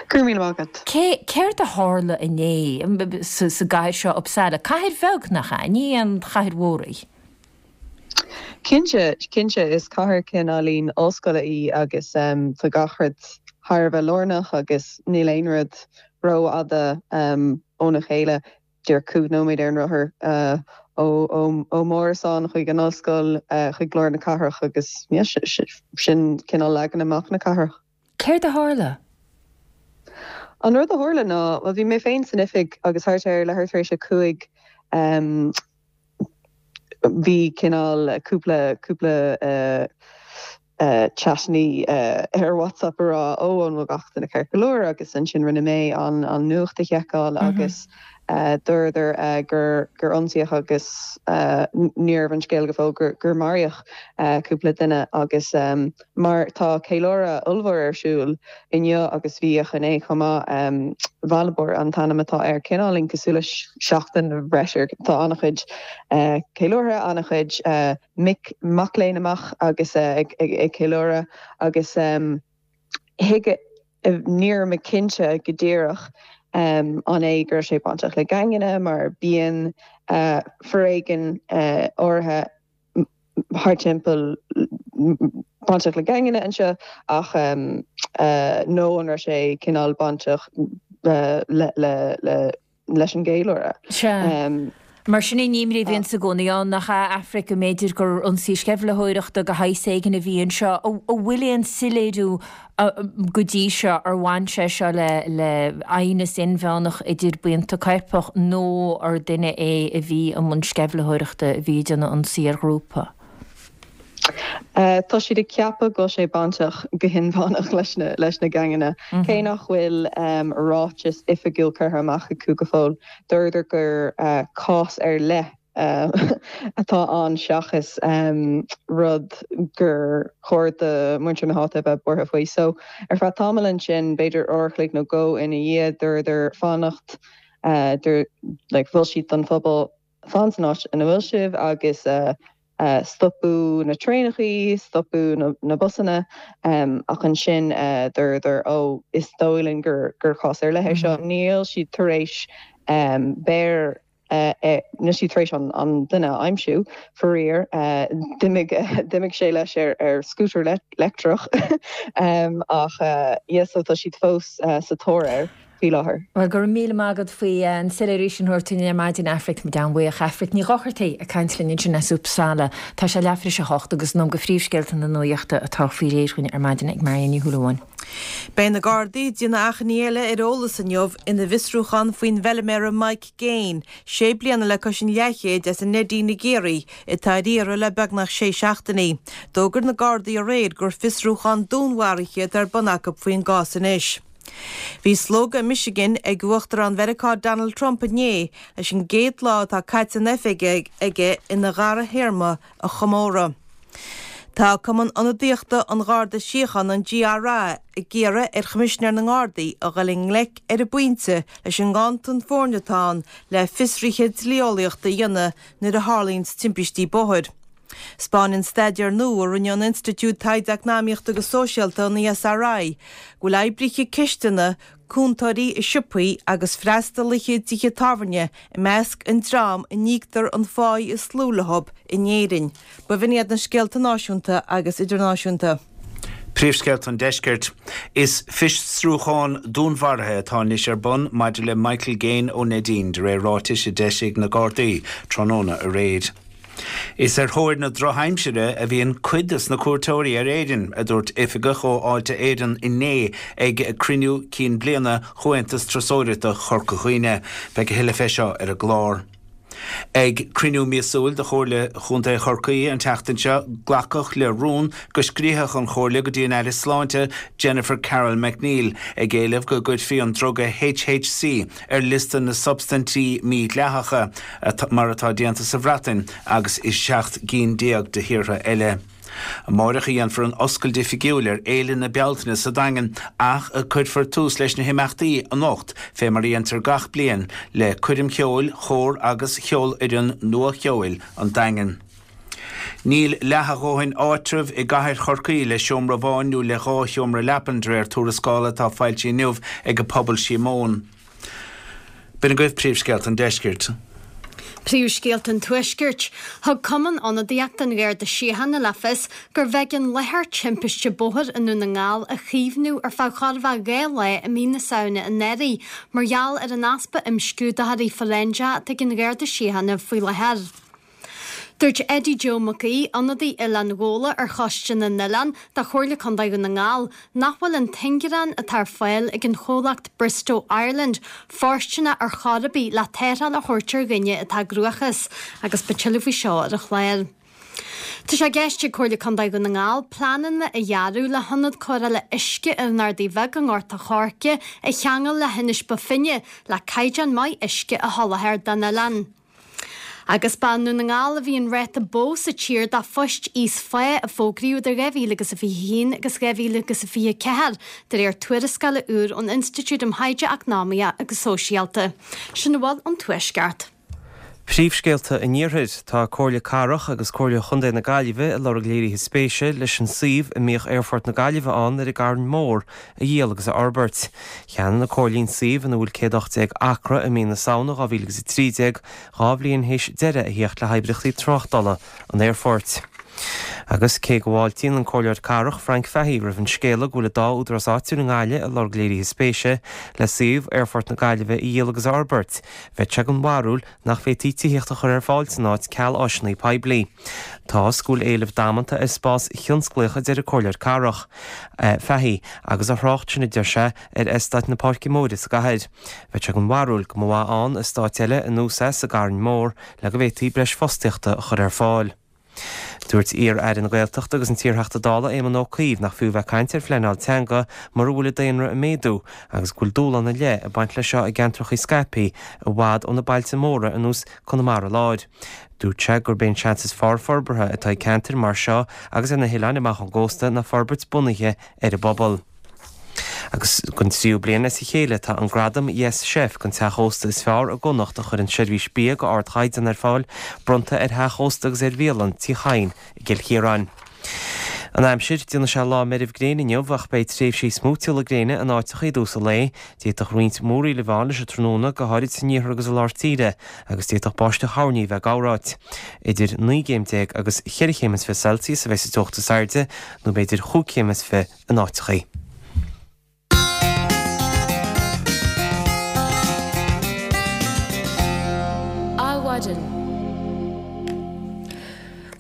Go raibh míle maith agat. Cé, céard a tharla inné sa, sa gcathair seo Uppsala? Cathair bheag nach ea? Ní aon chathair mhór í. Cinnte, cinnte, is cathair cineáilín ollscoile í agus tá gach rud thar a bheith lárnach agus níl aon rud rófhada óna chéile, díreach cúig nóiméad ar an rothar ó m'árasán chuig an ollscoil, chuig lár na cathrach agus yeah, sin cineál leagan amach na cathrach. Céard a tharla? An rud a tharla ná, bhuel bhí mé féin san oifig agus thart ar leathuair tar éis a cúig bhí cineál cúpla cúpla chatannaí ar WhatsApp a rá ó an bhfuil gach duine ceart go leor agus ansin rinne mé an an nuacht a sheiceáil agus dúradar gur gur ionsaíodh agus ní raibh an scéal go fóill gur gur maraíodh cúpla duine agus mar tá ceiliúradh ollmhór ar siúl inniu agus bhíodh inné chomh maith Valborg an t-ainm atá air cineáilín cosúil le seachtain bhreise tá an-chuid ceiliúrtha an-chuid mic mac léinn amach agus ag ag ceiliúradh agus thuig ní raibh mé cinnte go díreach an é go raibh sé bainteach le geaingeanna mar bíonn foréigean áirithe thart timpeall bainteach le geaingeanna anseo ach nó an raibh sé cineál bainteach le le le leis an gceiliúradh. Sea. Mar sin an imní a bhíonns i gcónaí ann, nach ea, Aifric, go mb'fhéidir gur ionsaí sceimhlitheoireachta de shaghas éigin a bhí anseo. An bhfuil aon soiléiriú go dtí seo ar bhain sé seo le le aighneas inmheánach idir buíonta coirpeach nó ar duine é a bhí i mbun sceimhlitheoireachta a bhí ag déanamh ionsaí ar ghrúpa? Tá siad ag ceapadh go bhfuil sé bainteach go hinmheánach leis na leis na geaingeanna. Cé nach bhfuil ráiteas oifigiúil curtha amach acu go fóill, dúradar gur cás ar leith atá ann seachas rud gur chóir do mhuintir na háite a bheith buartha faoi. So ar feadh tamaill ansin, b'fhéidir uair a chloig nó dhó ina dhiaidh, dúradar fanacht, like mhol siad don phobal fan san áit ina bhfuil sibh agus stopadh na traenachaí, stopadh na busanna ach ansin dúradar ó is dóigh linn gur gur cás ar leith é seo. Níl siad tar éis beir níl siad tar éis an duine a aimsiú, faraor. D'imigh d'imigh sé leis ar ar scútar leictreach ach yeah so tá siad fós sa tóir air. faoi láthair. Bhuel, go raibh míle maith agat faoi an soiléiriú sin a thabhairt dúinn ar maidin, Aifric. Táimid an-bhuíoch. Aifric Ní Dhochartaigh ag caint linn ansin as Uppsala. Tá sé leathuair tar éis a hocht agus in am do phríomhscéalta na nuachta atá faoi réir dhúinn ar maidin ag Marion Ní Shúilleabháin. Beidh na Gardaí ag déanamh achainí eile ar eolas inniu ina bhfiosrúchán faoin bhfeilméara Mike Gaine, sé bliana le cois an leathchéid as an Neidín i gCiarraí, atá ar iarraidh le beagnach sé seachtainí. D'fhógair na Gardaí aréir gur fiosrúchán dúnmharaithe atá ar bun acu faoin gcás anois. Bhí slógadh i Michigan ag Uachtarán Mheiriceá Donald Trump inné leis an gcéad lá atá caite in oifig aige ina dhara théarma a chomóradh. Tá Cumann Ionadaíochta an Gharda Síochána, an GRA, ag iarraidh ar Choimisinéir na nGardaí a dhul i ngleic ar an bpointe leis an nganntan foirne atá ann le fiosruithe dlí-eolaíochta a dhéanamh nuair a tharlaíonns timpistí bóthair. 'Spáineann staidéar nua a rinne an Institiúid Taighde Eacnamaíochta agus Sóisialta, an ESRI, go bhfuil oibrithe cistine, cúntóirí i siopaí agus freastalaithe i dtithe tábhairne i measc an dream a n-íoctar an pháí is lú leo in Éirinn. B'in iad na scéalta náisiúnta agus idirnáisiúnta. Príomhscéalta an Deiscirt. Is fiosrúchán dúnmharaithe atá anois ar bun maidir le Michael Gaine ó Neidín, de réir ráitis a d'eisigh na Gardaí tráthnóna aréir. Is ar thóir na drochaimsire a bhíonn cuid des na cuairteoirí ar Éirinn, a dúirt oifigeach ó Fháilte Éireann inné ag cruinniú cinn bliana Chomhaontas Turasóireachta Chorca Dhuibhne. Beidh a thuilleadh fé seo ar an gclár. Ag cruinniú míosúil de Chomhairle Chontae Chorcaí an tseachtain seo, glacadh le rún go scríobhfadh an Chomhairle go dtí an Aire Sláinte Jennifer Carroll MacNeill ag éileamh go gcuirfí an druga HHC ar liosta na substaintí mídhleathacha, mar atá déanta sa Bhreatain agus i seacht gcinn déag de thíortha eile. Amáireach a dhéanfar an oscailt oifigiúil ar Fhéile na Bealtaine sa Daingean ach cuirfear tús leis na himeachtaí anocht fé mar a dhéantar gach bliain le coirm cheoil, chór agus cheolfhoireann nua cheoil an Daingin. Níl leath a dhóthain áitreabh i gcathair Chorcaí le seomra amháin nó le dhá sheomra leapan, de réir tuarascála atá foilsithe inniu ag Pobal Síomóin. B'in agaibh príomhscéalta an deiscirt. Príomhscéalta an Tuaiscirt. Thug Cumann Ionadaíochta an Gharda Síochána le fios gurbh éigean láthair timpiste bóthair i nDún na nGall a chaomhnú ar feadh chóir a bheith dhá lá i mí na Samhna anuraidh mar gheall ar an easpa imscrúdaitheoirí fóiréinseacha atá ag an Gharda Síochána faoi láthair. Dúirt Eddie Joe Mac Aoidh, ionadaí Oileán Ghabhla ar Choiste na nOileán de Chomhairle Contae Dhún na nGall, nach bhfuil an t-ingearán atá ar fáil ag an chomhlacht Bristow Ireland fóirsteanach ar chor ar bith le tarrtháil a thabhairt ar dhuine atá i gcruachás agus beidh tuilleadh faoi seo ar an chlár. Tá sé i gceist ag Comhairle Contae Dhún na nGall pleananna a dhearadh le hionad cóireála uisce ar an Ardaidh Bheag i nGort a' Choirce a cheangal le hInis Bó Finne le caighdeán maith uisce a sholáthar don oileán. Agus ba i nDún na nGall a bhí an ráta ba mhó sa tír do phoist íos-phá a fógraíodh idir dhá mhíle agus a fiche a haon agus dhá mhíle agus a fiche a ceathair, de réir tuarascála úr ón Institiúid um Thaighde Eacnamaíoch agus Sóisialta. Sin a bhfuil ón Tuaisceart. Príomhscéalta an Iarthair. Tá Comhairle Cathrach agus Comhairle Chontae na Gaillimhe ag lorg léirithe spéise leis an suíomh a mbíodh Aerfort na Gaillimhe ann ar an gCarn Mór a dhíol agus a fhorbairt. Cheannaigh na Comhairlí an suíomh ina bhfuil céad ocht déag acra i mí na Samhna dhá mhíle agus a trí déag, dhá bhliain théis deireadh a theacht le hoibríochtaí tráchtála an aerfoirt. Agus cé go bhfáiltíonn an Comhairleoir Cathrach Frank Fahey roimh an scéala go bhfuil an dá údarás áitiúil i nGaillimh ag lorg léirithe spéise le suíomh Aerfort na Gaillimhe a dhíol agus a fhorbairt, bheadh sé den bharúil nach bhféadfaí tithíocht a chur ar fáil san áit ceal áiseanna poiblí. Tá is go bhfuil éileamh damanta ar spás thionsclaíoch a deir an Comhairleoir Cathrach Fahey agus a thrácht sin a deir sé ar eastát na Páirce Móire sa gcathair. Bheadh sé den bharúil go mba mhaith ann eastát eile ar nós é sa gCarn Mór le go bhféadfaí breis fostaíochta a chur ar fáil. Dúirt iar-aire na Gaeltachta agus an t-iarTheachta Dála Éamon Ó Cuív nach fiú bheith ag caint ar phleanáil teanga mura bhfuil an daonra ag méadú agus go bhfuil dúshlán ar leith ag baint leis seo i gceantracha scaipthe i bhfad ó na bailte móra ar nós Conamara Láir. Dúirt sé gurb é an seans is fearr forbartha atá ag ceantair mar seo agus ar na hoileáin amach ón gcósta ná forbairt bunaithe ar an bpobal. Agus don tríú bliain as a chéile tá an gradam Yes Chef don teach ósta is fearr i gConnacht a chuireann seirbhís bia go ardchaighdeán ar fáil, bronnta ar theach ósta agus ar bhialann Tí Chadhain i gCill Chiaráin. An aimsir, déanfaidh sé lá meirbh gréine inniu ach beidh tréimhsí smúitiúla gréine in áiteacha i dtús an lae. D'fhéadfadh roinnt múraíl a bheith ann leis an tráthnóna, go háirid san iarthar agus i lár tíre, agus d'fhéadfadh báisteach thoirní a bheith ag gabhráit. Idir naoi gcéim déag agus cheithre chéim is fiche Celsius a bheidh sa teocht is airde, nó b'fhéidir chúig chéim is fiche in áiteacha. Adhmhaidin.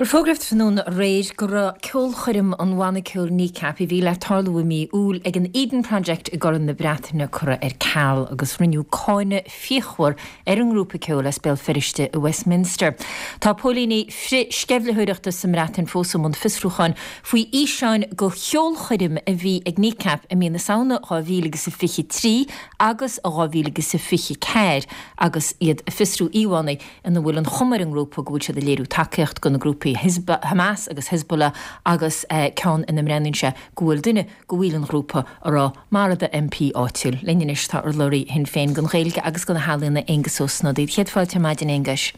Bhuel, fógraíodh tráthnóna aréir go raibh ceolchoirm an bhanna ceoil Kneecap a bhí le tarlú i mí Iúil ag an Eden Project i gCorn na Breataine curtha ar ceal agus rinneadh cáineadh fíochmhar ar an ngrúpa ceoil as Béal Feirste i Westminster. Tá póilíní frith-sceimhlitheoireachta sa mBreatain fós i mbun fiosrúcháin faoi fhíseáin de cheolchoirm a bhí ag Kneecap i mí na Samhna dhá mhíle agus a fiche trí agus dhá mhíle agus a fiche ceathair agus iad ag fiosrú íomhánna ina bhfuil an chuma ar an ngrúpa go bhfuil siad ag léiriú tacaíocht do na grúpaí Hamas agus Hezbollah agus ceann ina mbreathnaíonn sé go bhfuil duine de bhaill an ghrúpa ag rá maraigh do M P áitiúil. Linn anois tá urlabhraí Shinn Féin don Ghaeilge agus do na healaíona Aengus Ó Snodaigh. Céad fáilte ar maidin, Aonghuis.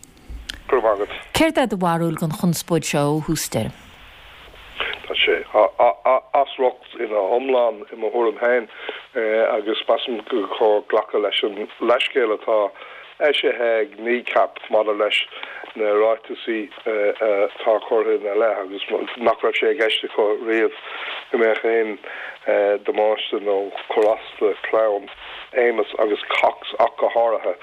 Go raibh maith agat. Céard é do bharúil den chonspóid seo ó thús deireadh? Tá sé as riocht ina iomlán i mo thuairim féin agus measaim gur chóir glacadh leis an leithscéal atá eisithe ag Kneecap maidir leis na ráitisí atá curtha ina leith agus nach raibh sé i gceist acu riamh go mbeadh aon damáiste nó cur as do chlann Amos agus Cox ach go háirithe.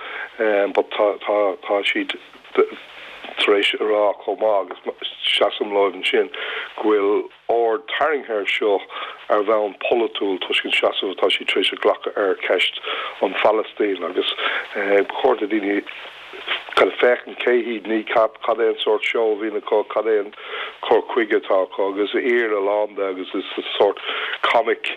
But tá tá siad tar éis a rá chomh maith, agus seasaim leo ansin, go bhfuil aird tarraingthe air seo ar bhonn polaitiúil toisc an seasamh atá siad tar éis a ghlacadh ar cheist an Phalaistín agus ba chóir do dhaoine kind of féachaint cé hiad Kneecap, cad é an sórt seó a bhíonn acu, cad é an cur chuige atá acu agus aoir a lán de agus is sórt comic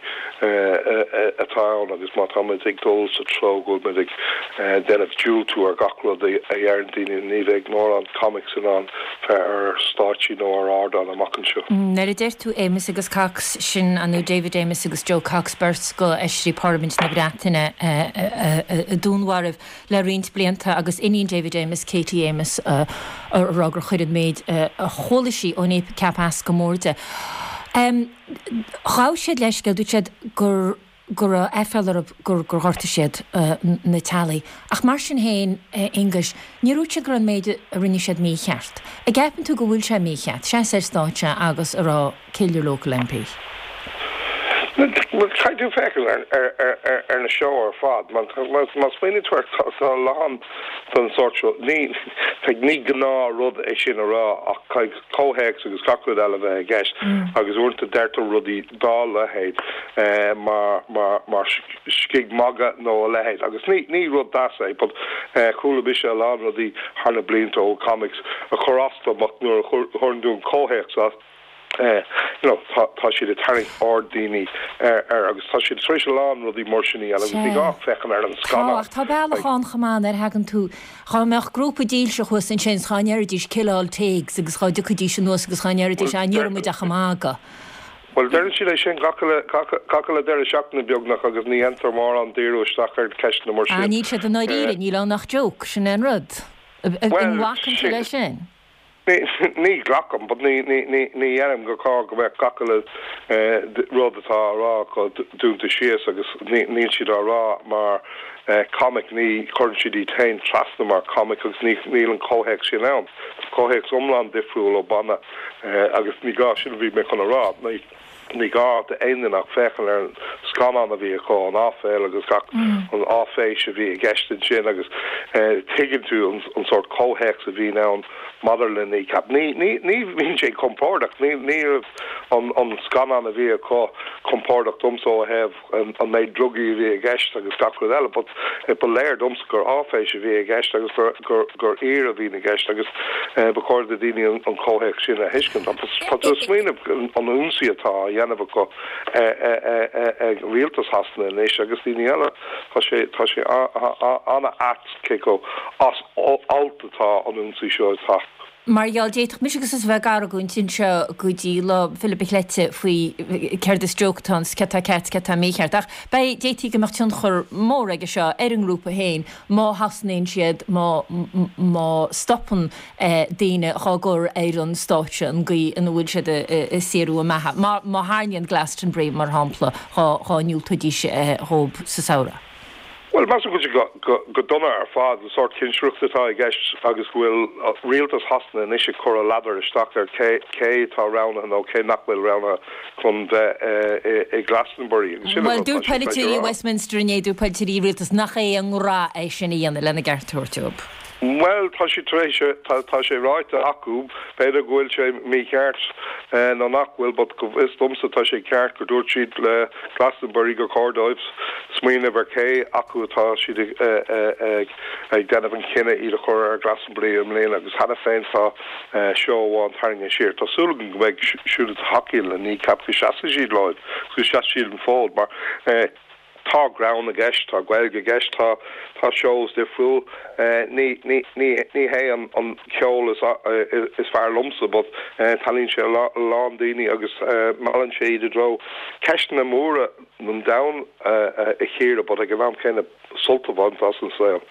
atá ann agus má táimid ag dul sa treo go bhfuil muid ag déanamh diúltú ar gach rud a dheireann daoine, ní bheidh mórán comics in ann bheith ar stáitsí nó ar ardán amach anseo. Nuair a deir tú Amos agus Cox, sin nó David Amess agus Jo Cox, beirt de fheisirí Parlaimint na Breataine a dúnmharaíodh le roinnt blianta agus iníon David Amess, Katie Amess, a rá gur chuir an méid a chuala sí ó Kneecap as go mór di. Ghabh siad leithscéal, dúirt siad gur go raibh aiféala orthu gur gur ghortaigh siad na teaghlaigh. Ach mar sin féin, a Aonghuis, níor dhúirt siad go raibh an méid a rinne siad mícheart. An gceapann tú go bhfuil sé mícheart seasamh ar stáitse agus a rá kill your local M P? Bhuel, caithfidh tú féachaint ar na seó ar fad. Má smaoiníonn tú air, tá a lán den sórt seo. Ní ní gnáthrud é sin a rá ach caithfidh comhthéacs agus gach rud eile bheith i gceist agus uaireanta deirtear rudaí dá leithéid mar mar mar scig mhagadh nó a leithéid agus ní ní rud deas é but chuala mise a lán rudaí thar na blianta ó comics a chuir as dom ach nuair a chuireann tú an comhthéacs as you know tá tá siad ag tarraingt aird daoine air agus tá siad tar éis a lán rudaí mar sin a dhéanamh agus ní gá féachaint ar an Tá, scannán. ach tá bealach ann chomh maith nuair a thagann tú, dhá mbeadh grúpa dílseach thuas ansin 's dhá ndéarfaidís kill all Teigs agus dhá dtiocfaidís anuas agus dhá ndéarfaidís Bhuel, ah ní raibh muid ach ag magadh. Bhuel, deireann siad é sin gach uile gach gach uile deireadh seachtaine beagnach agus ní dhéantar mórán díriú isteach ar cheisteanna mar Ah, sin. níl siad i ndáiríre, níl ann ach joke, sin é an rud. An Bhuel, nglacann tú sin leis sin? Ní ghlacaim, but ní ní ní dhéanaim gur chóir go mbeadh gach uile rud atá á rá acu dúnta síos agus níl siad á rá mar comic, ní chuireann siad iad féin trasna mar comic agus ní níl an comhthéacs sin ann. Tá comhthéacs iomlán difriúil ó banna agus ní gá sin a bhí mé chun a rá. Ní gá d'aon duine ach féachaint ar an scannán a bhí acu, an áiféil agus gach an áiféis a bhí i gceist ansin agus tuigeann tú an sórt comhthéacs a bhíonn ann maidir le Kneecap. Ní ní bhíonn sé compordach, ní ní raibh an scannán a bhí acu compordach domsa ó thaobh an méid drugaí a bhí i gceist agus gach rud eile but ba léir domsa gur áiféis a bhí i gceist agus gur gur gur fhíor a bhí i gceist agus ba chóir do daoine an comhthéacs sin a thuiscint. Tá tú ag smaoineamh an ionsaí atá á dhéanamh acu ag rialtas Shasana anois agus daoine eile, tá sé tá sé an-ait cé chomh as alt atá an ionsaí seo ag teacht. Mar gheall, d'fhéadfadh mise agus tusa bheith ag argóint anseo go dtí lá Philip a' Chleite faoi céard is joke atá ann, céard atá ceart, céard atá mícheart. Ach beidh, d'fhéadfaí go mbeadh tionchar mór aige seo ar an ngrúpa féin má thosnaíonn siad, má, má stopann daoine dhá gcur ar an stáitse an gcaoi ina bhfuil siad ag saothrú a mbeatha. Má, má tharraingíonn Glastonbury, mar shampla, dhá, dhá ndiúltóidís dhóibh sa samhradh. Bhuel, measaim go bhfuil sé go dona ar fad, an sórt cinsireacht atá i gceist agus go bhfuil rialtas Shasana anois ag cur a ladar isteach ar cé cé atá roghnaithe nó cé nach bhfuil roghnaithe chun bheith i Glastonbury. Agus sin an Bhuel, rud atá dúirt siad tar éis a polaiteoirí rá. Westminster inné, dúirt polaiteoirí rialtas nach é a ngnó é sin a dhéanamh lena gceart a thabhairt dóibh. Bhuel, tá sé tar éis, tá sé ráite acu, b'fhéidir go bhfuil sé mícheart nó nach bhfuil, but go bhfios domsa tá sé ceart gur dúirt siad le Glastonbury gur chóir dóibh smaoineamh ar cé acu atá siad ag ag déanamh an chinneadh iad a chur ar Glastonbury i mbliana agus cheana féin tá seó amháin tarraingthe siar. Tá súil agam go mbeidh siúd a thacaíonn le Kneecap go seasfaidh siad leo, go seasfaidh siad an fód mar Tá greann i gceist, tá Gaeilge i gceist, tá tá seós difriúil. Ní ní ní ní hé an an ceol is is fearr liomsa but taitníonn sé a lán daoine agus meallann sé iad i dtreo ceisteanna móra an domhain a chíoradh but ag an am céanna sult a bhaint as an saol.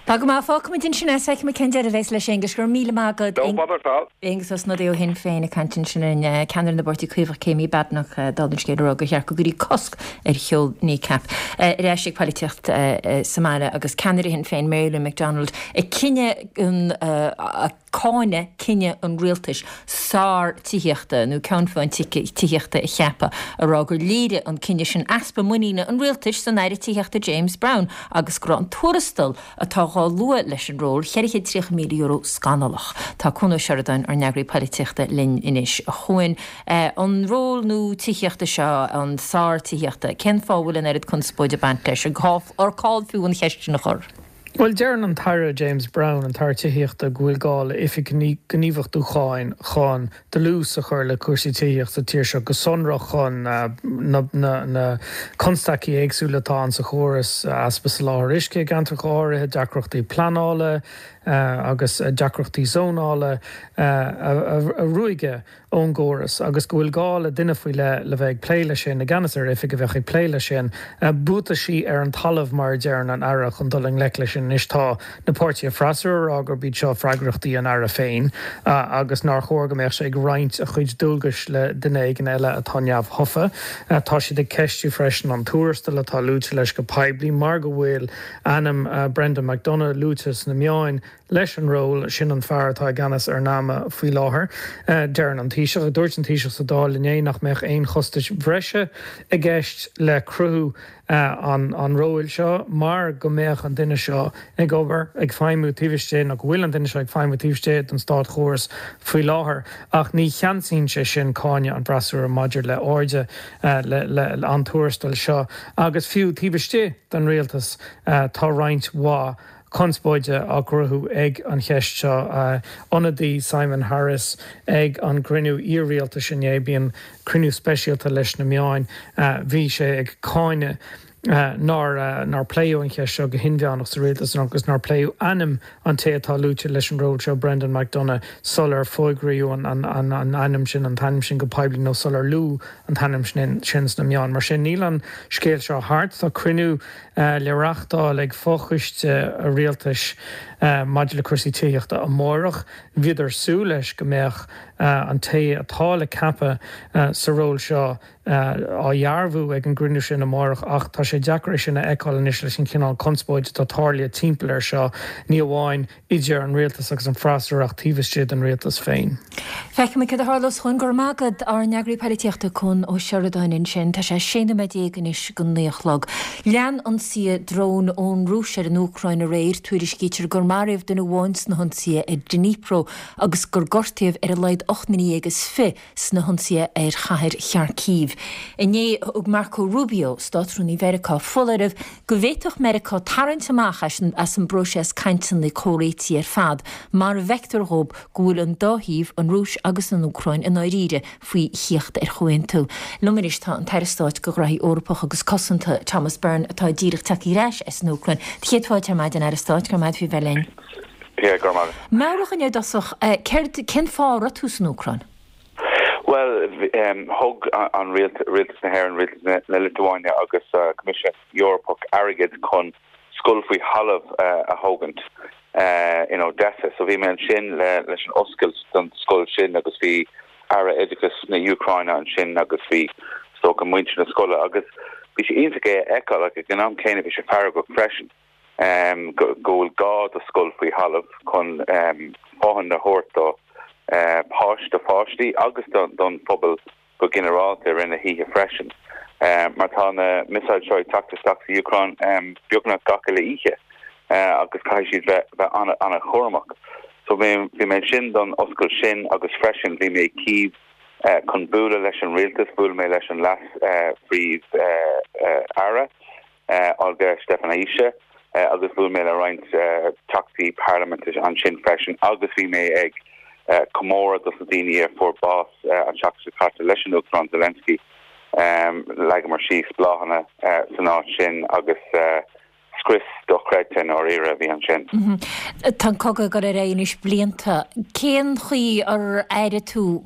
Tá go maith, fágfaimid ansin é, feicfimid cén deireadh a bheas leis Aengus, go raibh míle maith agat. No bother at all. Aengus Ó Snodaigh ó Shinn Féin ag caint ansin linn, ceannaire na bPáirtí Caomhach Kemi Badenoch dála an scéil ag rá gur cheart go gcuirfí cosc ar cheol Kneecap. Ar ais ag polaitíocht sa mbaile agus ceannaire Shinn Féin Mary Lou McDonald ag cinneadh an cáineadh cinneadh an rialtais Saor Tithíochta nó Ceann Feadhain Tithíochta a cheapadh, ag rá gur léirigh an cinneadh sin easpa muiníne an rialtais san Aire Tithíochta James Browne agus go raibh an tuarastal atá dhá lua leis an ról, ceithre chéad tríocha míle euro, scannalach. Tá Cuan Ó Seireadáin, ár n-eagraí polaitíochta, linn anois. A Chuain, an ról nua tithíochta seo, an Saor Tithíochta, cén fáth a bhfuil an oiread conspóide ag baint leis? Ar call fiú an cheist sin a chur? Bhuel, deireann an tAire James Browne, an tAire Tithíochta, go bhfuil gá le oifig gníomhachtúcháin chun dlús a chur le cúrsaí tithíochta sa tír seo, go sonrach chun na constaicí éagsúla atá ann sa chóras, easpa soláthair uisce i gceantracha áirithe, deacrachtaí pleanála agus deacrachtaí zónála a ruaigeadh ón gcóras agus go bhfuil gá le duine faoi leith le bheith ag plé leis sin, i gceannas ar oifig a bheadh ag plé leis sin. Buataisí ar an talamh mar a deireann an Aire chun dul i ngleic leis sin. Anois tá na páirtithe freasúra ag rá gurb iad seo freagrachtaí an Aire féin agus nár chóir go mbeadh sé ag roinnt a chuid dualgais le duine éigin eile atá neamhthofa. Tá siad ag ceistiú freisin an tuarastal atá luaite leis go poiblí mar go bhfuil ainm Brendan McDonagh luaite sna meáin leis an ról, sin an fear atá i gceannas ar NAMA faoi láthair. Deireann an Taoiseach, dúirt an Taoiseach sa Dáil inné nach mbeadh aon chostais bhreise i gceist le cruthú an róil seo mar go mbeadh an duine seo ag obair, ag feidhmiú taobh istigh, nó go bhfuil an duine seo ag feidhmiú taobh istigh den státchóras faoi láthair. Ach ní cheansaíonn sé sin cáineadh an fhreasúra maidir le airde le an tuarastal seo agus fiú taobh istigh den rialtas tá roinnt mhaith conspóide á gcruthú ag an cheist seo. Ionadaí Simon Harris ag an gcruinniú iar-rialtais inné, bíonn cruinniú speisialta leis na meáin, bhí sé ag cáineadh nár nár pléadh an cheist seo go hinmheánach sa rialtas agus nár pléadh ainm an té atá luaite leis an ról seo, Brendan McDonagh, sular fógraíodh an an an an ainm sin an t-ainm sin go poiblí nó sular luadh an t-ainm sin sin sna meáin. Mar sin níl an scéal seo thart. Tá cruinniú le reáchtáil ag fochoiste rialtais maidir le cúrsaí tithíochta amárach. Bhíodar ag súil leis go mbeadh an té atá le ceapadh sa ról seo á dhearbhú ag an gcruinniú sin amárach ach tá sé deacair é sin a fheiceáil anois leis an chineál conspóid atá tarlaithe timpeall air seo, ní amháin idir an rialtas agus an freasúra ach taobh istigh den rialtas féin. Feicfimid cad a tharlós. Go raibh maith agat, ár n-eagraí polaitíochta Conn Ó Seireadáin ansin. Tá sé sé nóiméad déag anois go naoi a chlog. Lean ionsaithe drón ón Rúis ar an Úcráin aréir. Tuairiscítear gur maraíodh duine amháin sna hionsaithe ar Dnipro agus gur gortaíodh ar a laghad ocht nduine dhéag is fiche sna hionsaithe ar chathair Kharkiv. Inné thug Marco Rubio, Státrúnaí Mheiriceá, foláireamh go bhféadfadh Meiriceá tarraingt amach as an bpróiseas cainteanna comhréitigh ar fad mara bhfeictear dhóibh go bhfuil an dá thaobh, an Rúis agus an Úcráin, i ndáiríre faoi thíocht ar chomhaontú. Liom anois tá an tAire Stáit do Ghraithí Eorpacha agus Cosanta, Thomas Byrne, atá díreach tagtha ar ais as an Úcráin. Do chéad fáilte ar maidin, Aire Stáit, go raibh maith agat faoi bheith linn. Yeah, go raibh maith agat. Meabhraigh dhúinn i dtosach, céard, cén fáth a raibh tú san Úcráin? Bhuel, thug an Rialtas na hÉireann, Rialtas na Liotuáine agus Coimisiún Eorpach airgead chun scoil faoi thalamh a thógaint in Odessa. So bhí mé ansin leis an oscailt don scoil sin agus bhí Aire Oideachais na hÚcráine ansin agus bhí is dócha muintir na scoile agus bhí sé iontach é a fheiceáil ach ag an am céanna bhí sé feargach freisin go bhfuil gá do scoil faoi thalamh chun fothain a thabhairt do páiste, do pháistí agus don phobal go ginearálta i rith na hoíche freisin. Mar tá na missiles seo ag teacht isteach sa Úcráin beagnach gach uile oíche agus caithfidh siad bheith an-chúramach. So bhí mé ansin don oscailt sin agus freisin bhí mé i Kyiv chun bualadh leis an rialtas, bhuail mé leis an leas-phríomh-aire. Olga Stefanishyna agus bhuail mé le roinnt teachtaí parlaiminte ansin freisin agus bhí mé ag comóradh dos na daoine a fuair bás an tseachtain seo caite leis an Uachtarán Zelensky. Leagamar síos bláthanna san áit sin agus scrios dochreidte i ndáiríre a bhí ansin. Tá an cogadh ag dul ar aghaidh anois blianta. Cén chaoi ar airigh tú,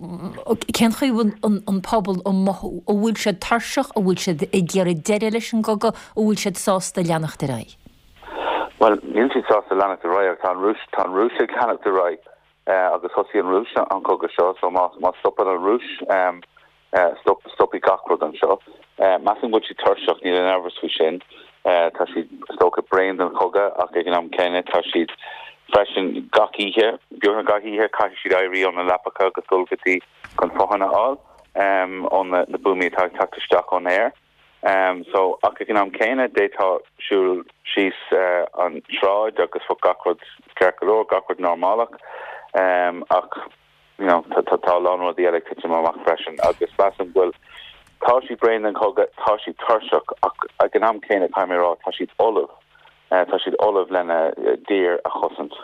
cén chaoi a bhfuil an pobal ag mothú? An bhfuil siad tuirseach? An bhfuil siad ag iarraidh deireadh leis an gcogadh? An bhfuil siad sásta leanacht ar aghaidh? Bhuel, níl siad sásta leanacht ar aghaidh ach tá an Rúis, tá an Rúis ag leanacht ar aghaidh agus thosaigh an Rúis an cogadh seo so má, má stopann an Rúis, Stop, stopfaidh gach rud anseo. Measaim go bhfuil siad tuirseach, níl aon amhras faoi sin. Tá siad, is dócha, bréan den chogadh ach ag an am céanna tá siad freisin gach oíche, beagnach gach oíche, caithfidh siad éirí óna leapacha agus dul go dtí chun fothain a fháil ó na buamaí atá ag teacht isteach ón aer. So, ach ag an am céanna d'fhéadfá siúl síos an tsráid agus bheadh gach rud ceart go leor, gach rud normálach. Ach. you know, tá tá a lán rudaí eile ag titim amach freisin agus measaim go bhfuil, tá siad bréan den chogadh, tá siad tuirseach ach ag an am céanna caithfidh mé a rá, tá siad ullamh, tá siad ullamh lena dtír a chosaint.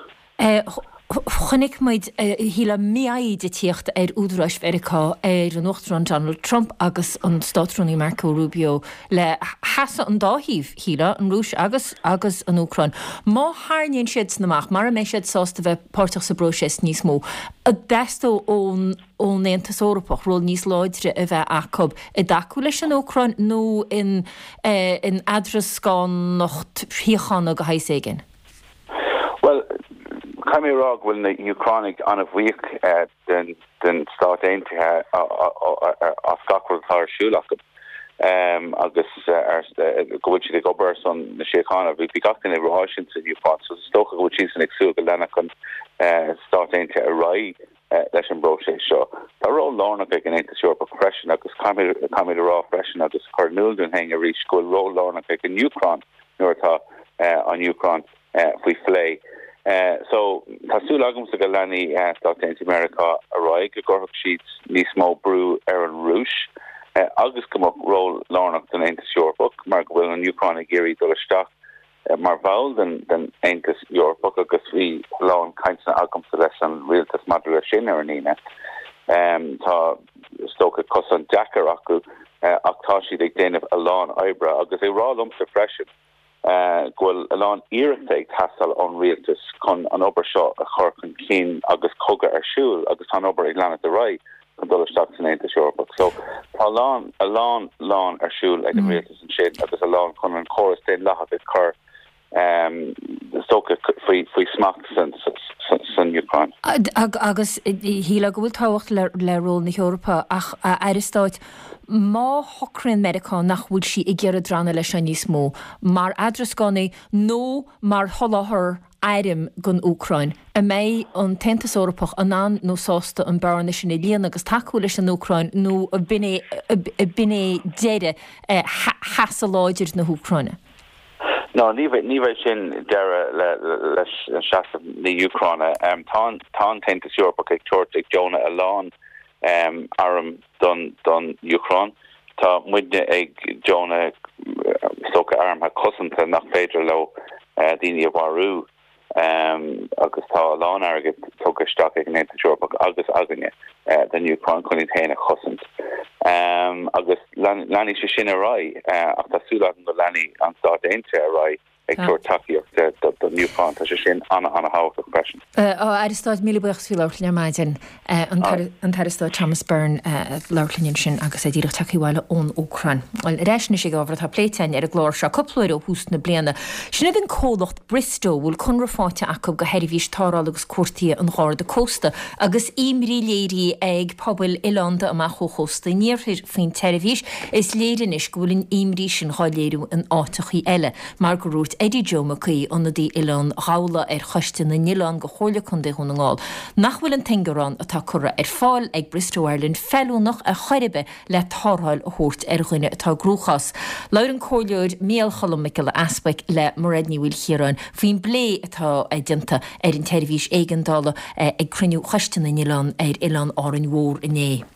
Chonaic muid, shílfeá, mífhoighid ag tíocht ar údaráis Mheiriceá, ar an Uachtarán Donald Trump agus an Státrúnaí Marco Rubio le sheasamh an dá thaobh, shílfeá, an Rúis agus agus an Úcráin. Má tharraingíonn siad san amach, mara mbeidh siad sásta bheith páirteach sa bpróiseas níos mó, an dteastódh ón ón Aontas Eorpach ról níos láidre a bheith acu i dtacú leis an Úcráin nó in in eadrascánacht shíochána de shaghas éigin? Bhuel, caithfidh mé a rá go bhfuil na hÚcránaigh an-bhuíoch den den Stát Aontaithe as gach rud atá ar siúl acu. agus go bhfuil siad ag obair ar son na síochána. Bhí gach duine ag rá sin san Úcráin, so is dócha go bhfuil siadsan ag súil go leanfadh an Stát Aontaithe ar aghaidh leis an bpróiseas seo. Tá ról lárnach ag an Aontas Eorpach freisin agus caithfimid a rá freisin agus cur in iúl dúinn féin arís go bhfuil ról lárnach ag an Úcráin nuair atá an Úcráin faoi phlé. So, tá súil agamsa go leanfaidh Stáit Aontaithe Meiriceá ar aghaidh, go gcuirfeadh siad níos mó brú ar an Rúis agus go mbeadh ról lárnach don Aontas Eorpach mar go bhfuil an Úcráin ag iarraidh dul isteach mar bhall den den Aontas Eorpach agus bhí a lán cainteanna agamsa leis an rialtas maidir leis sin ar an Aoine. Tá is dócha cosán deacair acu ach tá siad ag déanamh a lán oibre agus ag rá liomsa freisin go bhfuil a lán iarrachta ag teastáil ón rialtas chun an obair seo a chur chun cinn agus cogadh ar siúl agus tá an obair ag leanacht ar aghaidh chun dul isteach san Aontas Eorpach. So tá a lán a lán lán ar siúl ag an rialtas ansin agus a lán chun an córas daonlathach a chur is dócha faoi faoi smacht san san Úcráin. Agus shílfeá go bhfuil tábhacht le le ról na hEorpa ach a Aire Stáit, má shocraíonn Meiriceá nach bhfuil sí ag iarraidh drannadh leis seo níos mó, mar eadrascánaí nó mar sholáthar airm don Úcráin, an mbeidh an tAontas Eorpach in ann nó sásta an bearna sin a líonadh agus tacú leis an Úcráin nó b'in é b'in é deireadh sheasamh láidir na hÚcráine? No, ní bheidh, ní bheidh sin deireadh le, leis an seasamh na hÚcráine. Tá an, tá an tAontas Eorpach ag tabhairt, ag deonadh a lán arm don, don Úcráin. Tá muidne ag deonadh is dócha armtha cosanta nach féidir leo daoine a mharú. Agus tá a lán airgead tugtha isteach ag an Aontas Eorpach agus againne don Úcráin chun iad féin a chosaint. Agus leanfaidh sé sin ar aghaidh, ach tá súil agam go leanfaidh an Stáit Aontaithe ar aghaidh ag tabhairt tacaíocht don Úcráin. Tá sé sin an-an-thábhachtach freisin. A Aire Stáit, míle buíochas faoi labhairt linn ar maidin. An tAire Stáit Thomas Byrne ag labhairt linn ansin agus é díreach tagtha abhaile ón Úcráin. Bhuel, ar ais anois ag ábhar atá pléite againn ar an gclár seo cúpla uair ó thús na bliana. Sin iad an comhlacht Bristow, a bhfuil conradh faighte acu do sheirbhís tarrthála agus cuartaithe an Gharda Cósta agus imní léirithe ag pobail oileánda amach ó chósta an iarthair faoin tseirbhís. Is léir anois go bhfuil an imní sin dhá léiriú in áiteachaí eile, mar gur dhúirt Eddie Joe Mac Aoidh, ionadaí Oileán Ghabhla ar Choiste na nOileán go Chomhairle Contae Dhún na nGall, nach bhfuil an t-ingearán atá curtha ar fáil ag Bristow Ireland feiliúnach ar chor ar bith le tarrtháil a thabhairt ar dhuine atá i gcruachás. Labhair an Comhairleoir Micheál Cholm Mac Giolla Easbuic le Mairéad Ní Mhaoilchiaráin faoin bplé atá déanta ar an tseirbhís éigeandála ag cruinniú Choiste na nOileán ar Oileán Árainn Mhór inné.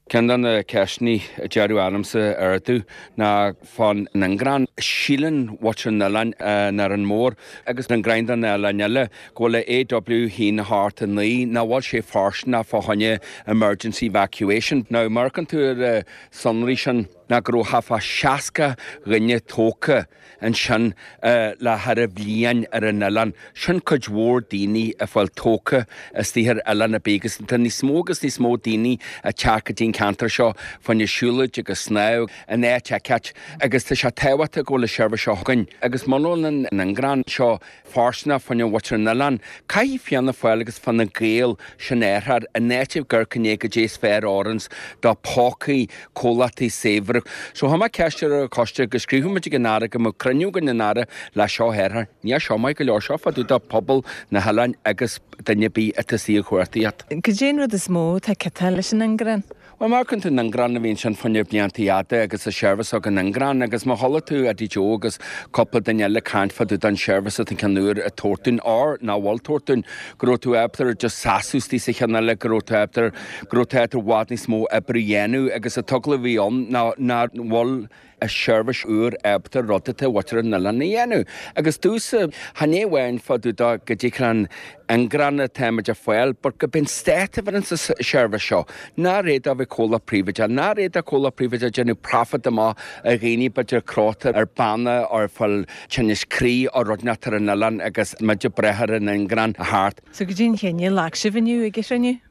Ceann de na ceisteanna a deireadh ormsa ar dtús ná fán ingearán. Síleann muintir an oileáin in Árainn Mhór agus an greim de na oileáin eile go bhfuil a AW haon a hocht a naoi nach bhfuil sé fóirsteanach fá choinne emergency evacuation. Now má amharcann tú ar na sonraí sin ná go raibh thart fá seasca dhuine tógtha ansin le thar bhliain ar an oileán. Sin cuid mhór daoine a fáil tógtha istigh ar oileán ar bith agus tá níos mó agus níos mó daoine ag teacht go dtí an ceantar seo fá choinne siúlóid agus snámh in áit eicínt agus tá sé tábhachtach go bhfuil an seirbhís seo againn agus muna bhfuil an ingearán seo fóirsteanach fá choinne mhuintir an oileáin. Caithfidh Fianna Fáil agus Fine Gael sin a athrú in áit a gcur i ndiaidh goidé is fearr a oireanns do pócaí comhlachtaí saibhre. So chuir mé ceist ar an choiste go scríobhadh muid ag an Aire go mbeadh cruinniú againn an Aire le seo a athrú. Níl seo maith go leor seo fá dtaobh de pobal na hoileáin agus duine ar bith atá istigh ag cuartaíocht. Cad é an rud is mó atá ciotáil leis an ingearán? Bhuel, má amharcann tú an ingearán a bhí ansin fá choinne blianta fhada agus an seirbhís ag an ingearán agus má chuala tú Eddie Joe agus cúpla duine eile ag caint fá dtaobh den seirbhís atá an ceann úr ag tabhairt dúinn or nach bhfuil tabhairt dúinn, go raibh tú ábalta just seasamh istigh sa cheann eile, go raibh tú ábalta, go raibh tú ábalta i bhfad níos mó oibre a dhéanamh agus an t-eagla a bhí ann ná nach bhfuil an seirbhís úr ábalta rud atá mhuintir an oileáin a dhéanamh. Agus domhsa, chan é amháin fá dtaobh de goidé an ingearán atáimid a fáil, but go b'in stát a bheireann sa seirbhís seo. Nár fhéad a bheith comhlacht príobháideach, nár fhéad comhlacht príobháideach déanamh profit amach ar dhaoine b'fhéidir cróta ar banna or fáil tinneas croí or rud inteacht ar an oileán agus muid ag brath ar an ingearán a theacht. So goidé an cinneadh a ghlac sibh inniu ag an chruinniú?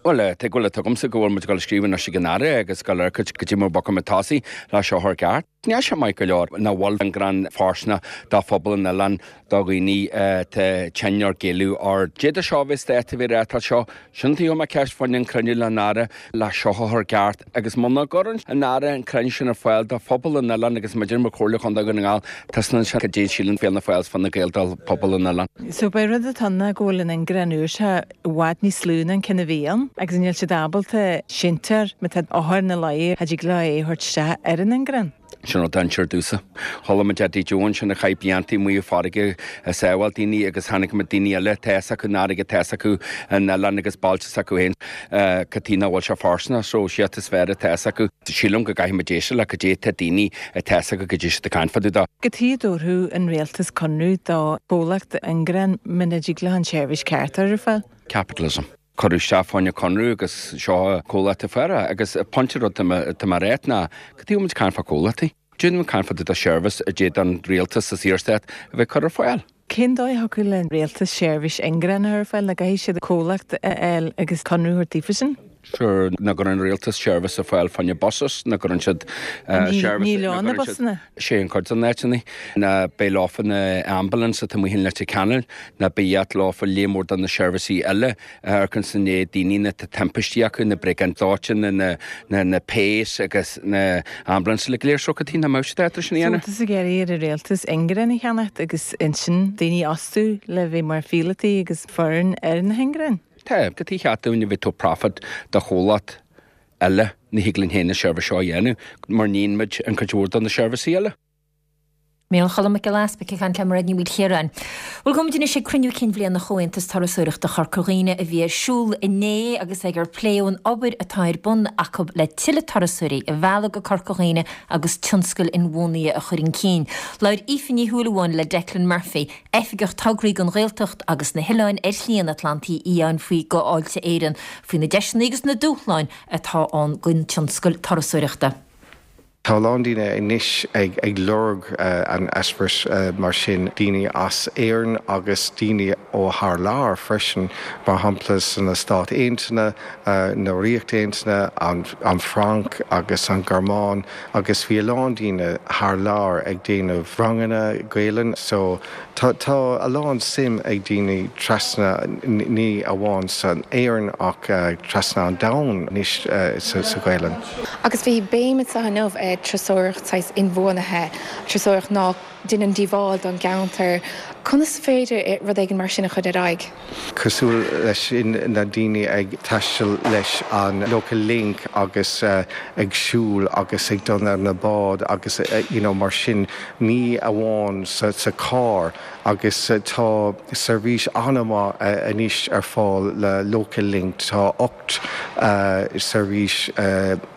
Bhuel, tuig bhfuil a tugamsa go bhfuil muid ag dul a scríobh anois ag an Aire agus ag dul ar cuid go dtí mar bhogfaidh muid tosaigh le seo a chur i gceart. Níl sé maith go leor nach bhfuil ingearán fóirsteanach do phobal an oileáin, do dhaoine atá tinn or géilleadh or d'fhéadfadh seo a bheith stát a bheith reáchtáil seo. Sin taobh mé ceist fá choinne an cruinniú le an Aire le seo a chur i gceart agus muna gcuireann an Aire an cruinniú sin ar fáil do phobal an oileáin agus muid mar Chomhairle Chontae Dhún na nGall, taispeánann sé goidé a síleann Fianna Fáil is Fine Gael do phobal an oileáin. So b'é rud atá ann ná go bhfuil an ingearán úr seo i bhfad níos lú ná an ceann a bhí ann agus níl siad ábalta sintéir má tá othar ina luí, cha dtig leo é a thabhairt isteach ar an ingearán. Sin rud dainséar domhsa. Chuala muid Eddie Joe ansin a chaith blianta amuigh i farraige ag sábháil daoine agus chonaic muid daoine eile tá fhios acu an fharraige tá fhios acu an oileán agus bailte s'acu féin cad chuige nach bhfuil sé fóirsteanach so siad is fearr atá fhios acu. Sílim go gcaithfidh muid éisteacht le cad é tá daoine atá fhios acu goidé siad ag caint fá dtaobh de. Cad chuige a dtabharfadh an rialtas conradh do chomhlacht ingearán muna dtig leo an tseirbhís ceart a chur ar fáil? Capitalism. Cuireadh isteach fá choinne conradh agus seo comhlacht a fuair é agus pointe rud tá mé a ráit ná cad chuige a bhfuil muid ag caint fá comhlachtaí? Cad chuige nach bhfuil muid ag caint fá do seirbhís a d'fhéadfadh an rialtas sa Saorstát a bheith cur ar fáil. Cén dóigh a thiocfadh le rialtas seirbhís inghreann a chur ar fáil nó caithfidh siad comhlacht a fháil agus conradh a thabhairt daofa sin? Sure, nach gcuireann an rialtas seirbhís ar fáil fá choinne buses, nach gcuireann siad seirbhís. Níl ann na busanna. Sé an cuid den áiteanna. Ná beidh leofa na ambulance atá amuigh in Leitir Ceanainn, ná beidh leofa líon mór de na seirbhísí eile a amharcann sa ndiaidh daoine na tá timpistí acu, na briogáid dóiteáin, na na na péas agus na ambulance le go léir so cad chuige nach mbeadh siad ábalta sin a dhéanamh. So tá tú ag iarraidh ar an rialtas inghreann a cheannacht agus ansin daoine a fhostú le bheith mar phíolótaí agus foireann ar na hinghreáin? Tá, cad chuige cheart dúinn a bheith ag tabhairt profit do chomhlacht eile, ní thig linn féin na seirbhís seo a dhéanamh mar níonn muid an cuid mhór de na seirbhísí eile. Micheál Cholm Mac Giolla Easpaig ag caint le Mairéad Ní Mhaoilchiaráin. Bhuel, gabhfaimid anois ag cruinniú cinn bhliana Chomhaontas Turasóireachta Chorca Dhuibhne a bhí ar siúl inné agus ag ar pléadh an obair atá ar bun acu le tuilleadh turasóirí a mhealladh go Corca Dhuibhne agus tionscal inbhuanaithe a chur chun cinn. Labhair Aoife Ní Shúilleabháin le Declan Murphy, Oifigeach Tograí don Ghaeltacht agus na hOileáin ar Shlí an Atlantaigh Fhiáin faoi go Fháilte Éireann, faoi na deiseanna agus na dúshláin atá ann don tionscal turasóireachta. Tá a lán daoine anois ag ag lorg an eispéireas mar sin, daoine as Éirinn agus daoine ó thar lear freisin, mar shampla sna Stáit Aontaithe, na Ríocht Aontaithe, an an Fhrainc agus an Ghearmáin agus bhí a lán daoine thar lear ag déanamh ranganna Gaelainn so tá tá a lán suim ag daoine trasna ní amháin san Éirinn ach trasna an domhain anois sa sa Ghaelainn. Agus bhí béim anseo inniu ar turasóireacht saghas inbhuanaithe, turasóireacht ná déanann díobháil don gceantar. Conas féidir rud éigin mar sin a chur ar aghaidh? Cosúil leis sin na daoine ag taisteal leis an Local Link agus ag siúl agus ag dul ar na báid agus you know mar sin ní amháin sa sa carr agus tá seirbhís an-mhaith anois ar fáil le Local Link tá ocht seirbhís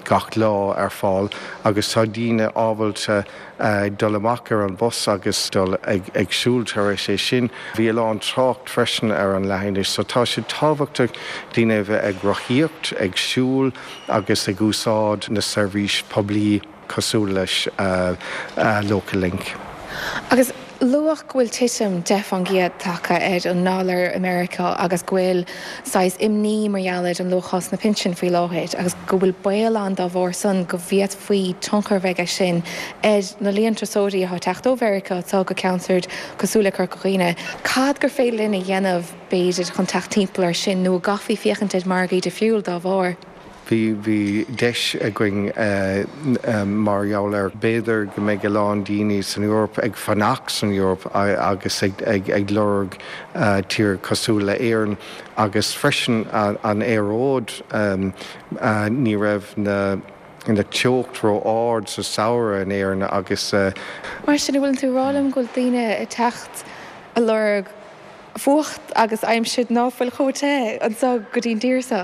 gach lá ar fáil agus tá daoine ábalta dul amach ar an bus agus dul ag ag siúl tar éis é sin. Bhí a lán trácht freisin ar an leathinis, so tá sé tábhachtach daoine a bheith ag rothaíocht, ag siúl agus ag úsáid na seirbhís poiblí cosúil leis uh, uh, Local Link. Agus luadh go bhfuil titim deich faoin gcéad tagtha ar an ndollar i Meiriceá agus go bhfuil saghas imní mar gheall ar an luacháil sna pinsin faoi láthair agus go bhfuil baol ann dá bharr san go bhféadfaí tionchar bheith aige sin ar na líon turasóirí atá ag teacht ó Mheiriceá atá go ceantar cosúil le Corca Dhuibhne. Cad gur féidir linn a dhéanamh b'fhéidir chun teacht timpeall ar sin nó gcaithfí féachaint ar margaí difriúil dá bharr. Bhí bhí deis againn uh, mar gheall ar b'fhéidir go mbeidh a lán daoine san Eoraip ag fanacht san Eoraip agus ag, ag, ag lorg uh, tír cosúil le Éirinn agus freisin an, an aeráid um, uh, ní raibh na na teocht ró-ard sa samhradh in Éirinn agus uh, Mar sin bhfuil tú ag rá liom go bhfuil daoine ag teacht ag lorg fuacht agus aimsir ná fuil chomh te anseo go dtí'n tír seo.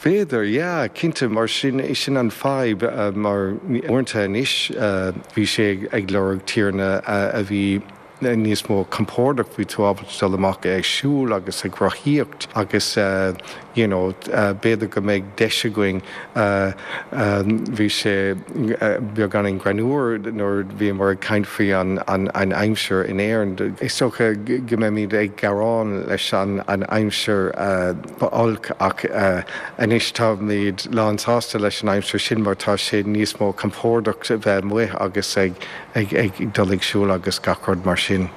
B'fhéidir, yeah, cinnte mar sin sin an fadhb uh, mar uaireanta anois uh, bhí sé ag lorg tíortha uh, a bhí níos mó compordach bhí tú ábalta dul amach ag siúl agus ag rothaíocht agus uh, you know, uh, b'fhéidir go mbeidh deis againn uh, um, bhí sé uh, beagáinín greannmhar nuair bhí mar ag caint faoi an, an, an aimsir in Éirinn. Is dócha go mbeimid ag gearán leis an, an aimsir uh, olc ach uh, anois táimid lánsásta leis an aimsir sin mar tá sé níos mó compordach bheith amuigh agus ag, ag, ag dul ag siúl agus gach rud mar sin.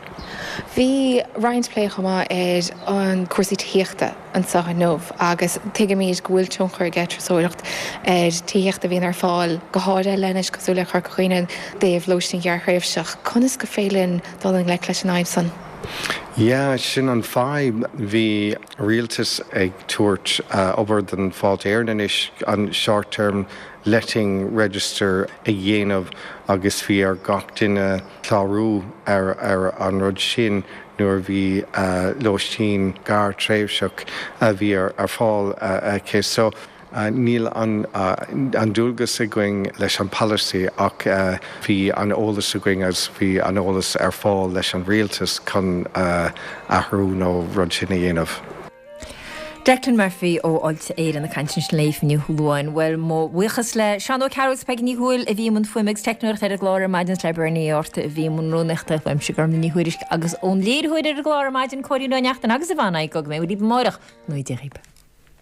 Bhí roinnt plé chomh maith ar an cúrsaí tithíochta anseo inniu agus tuigimid go bhfuil tionchar ag turasóireacht ar tithíocht a bhíonn ar fáil go háirithe leis cosúil le Corca Dhuibhne dtaobh lóistín ghearrthréimhseach. Conas gur féidir linn dul i ngleic leis an fhadhb san. Yeah, sin an fadhb bhí rialtas ag tabhairt uh, obair den Fáilte Éireann anois an short-term letting register a dhéanamh agus bhí ar gach duine clárú ar ar an rud sin nuair bhí uh, lóistín gearrthréimhseach a bhí ar ar fáil uh, aici so Uh, níl an, uh, an dualgas againn leis an policy ach uh, bhí an eolas againn agus bhí an eolas ar fáil leis an rialtas chun uh, athrú nó rud sin a dhéanamh. Declan Murphy ó Fháilte Éireann ag caint ansin le Aoife Ní Shúilleabháin. Bhuel, mo bhuíochas le Seán Ó Cearúil is Peigí Ní Thuathail a bhí i mbun fuaime agus teicneoireachta ar an gclár ar maidin is le Bernie Ó Arta a bhí i mbun rúnaíochta, uaimse Gormfhlaith Ní Thuairisg agus ón léiritheoir ar an gclár ar maidin, Cóilín Ó Neachtain agus Yvonne Go mbeidh muid libh amárach. Go ngnóthaí Dia dhaoibh.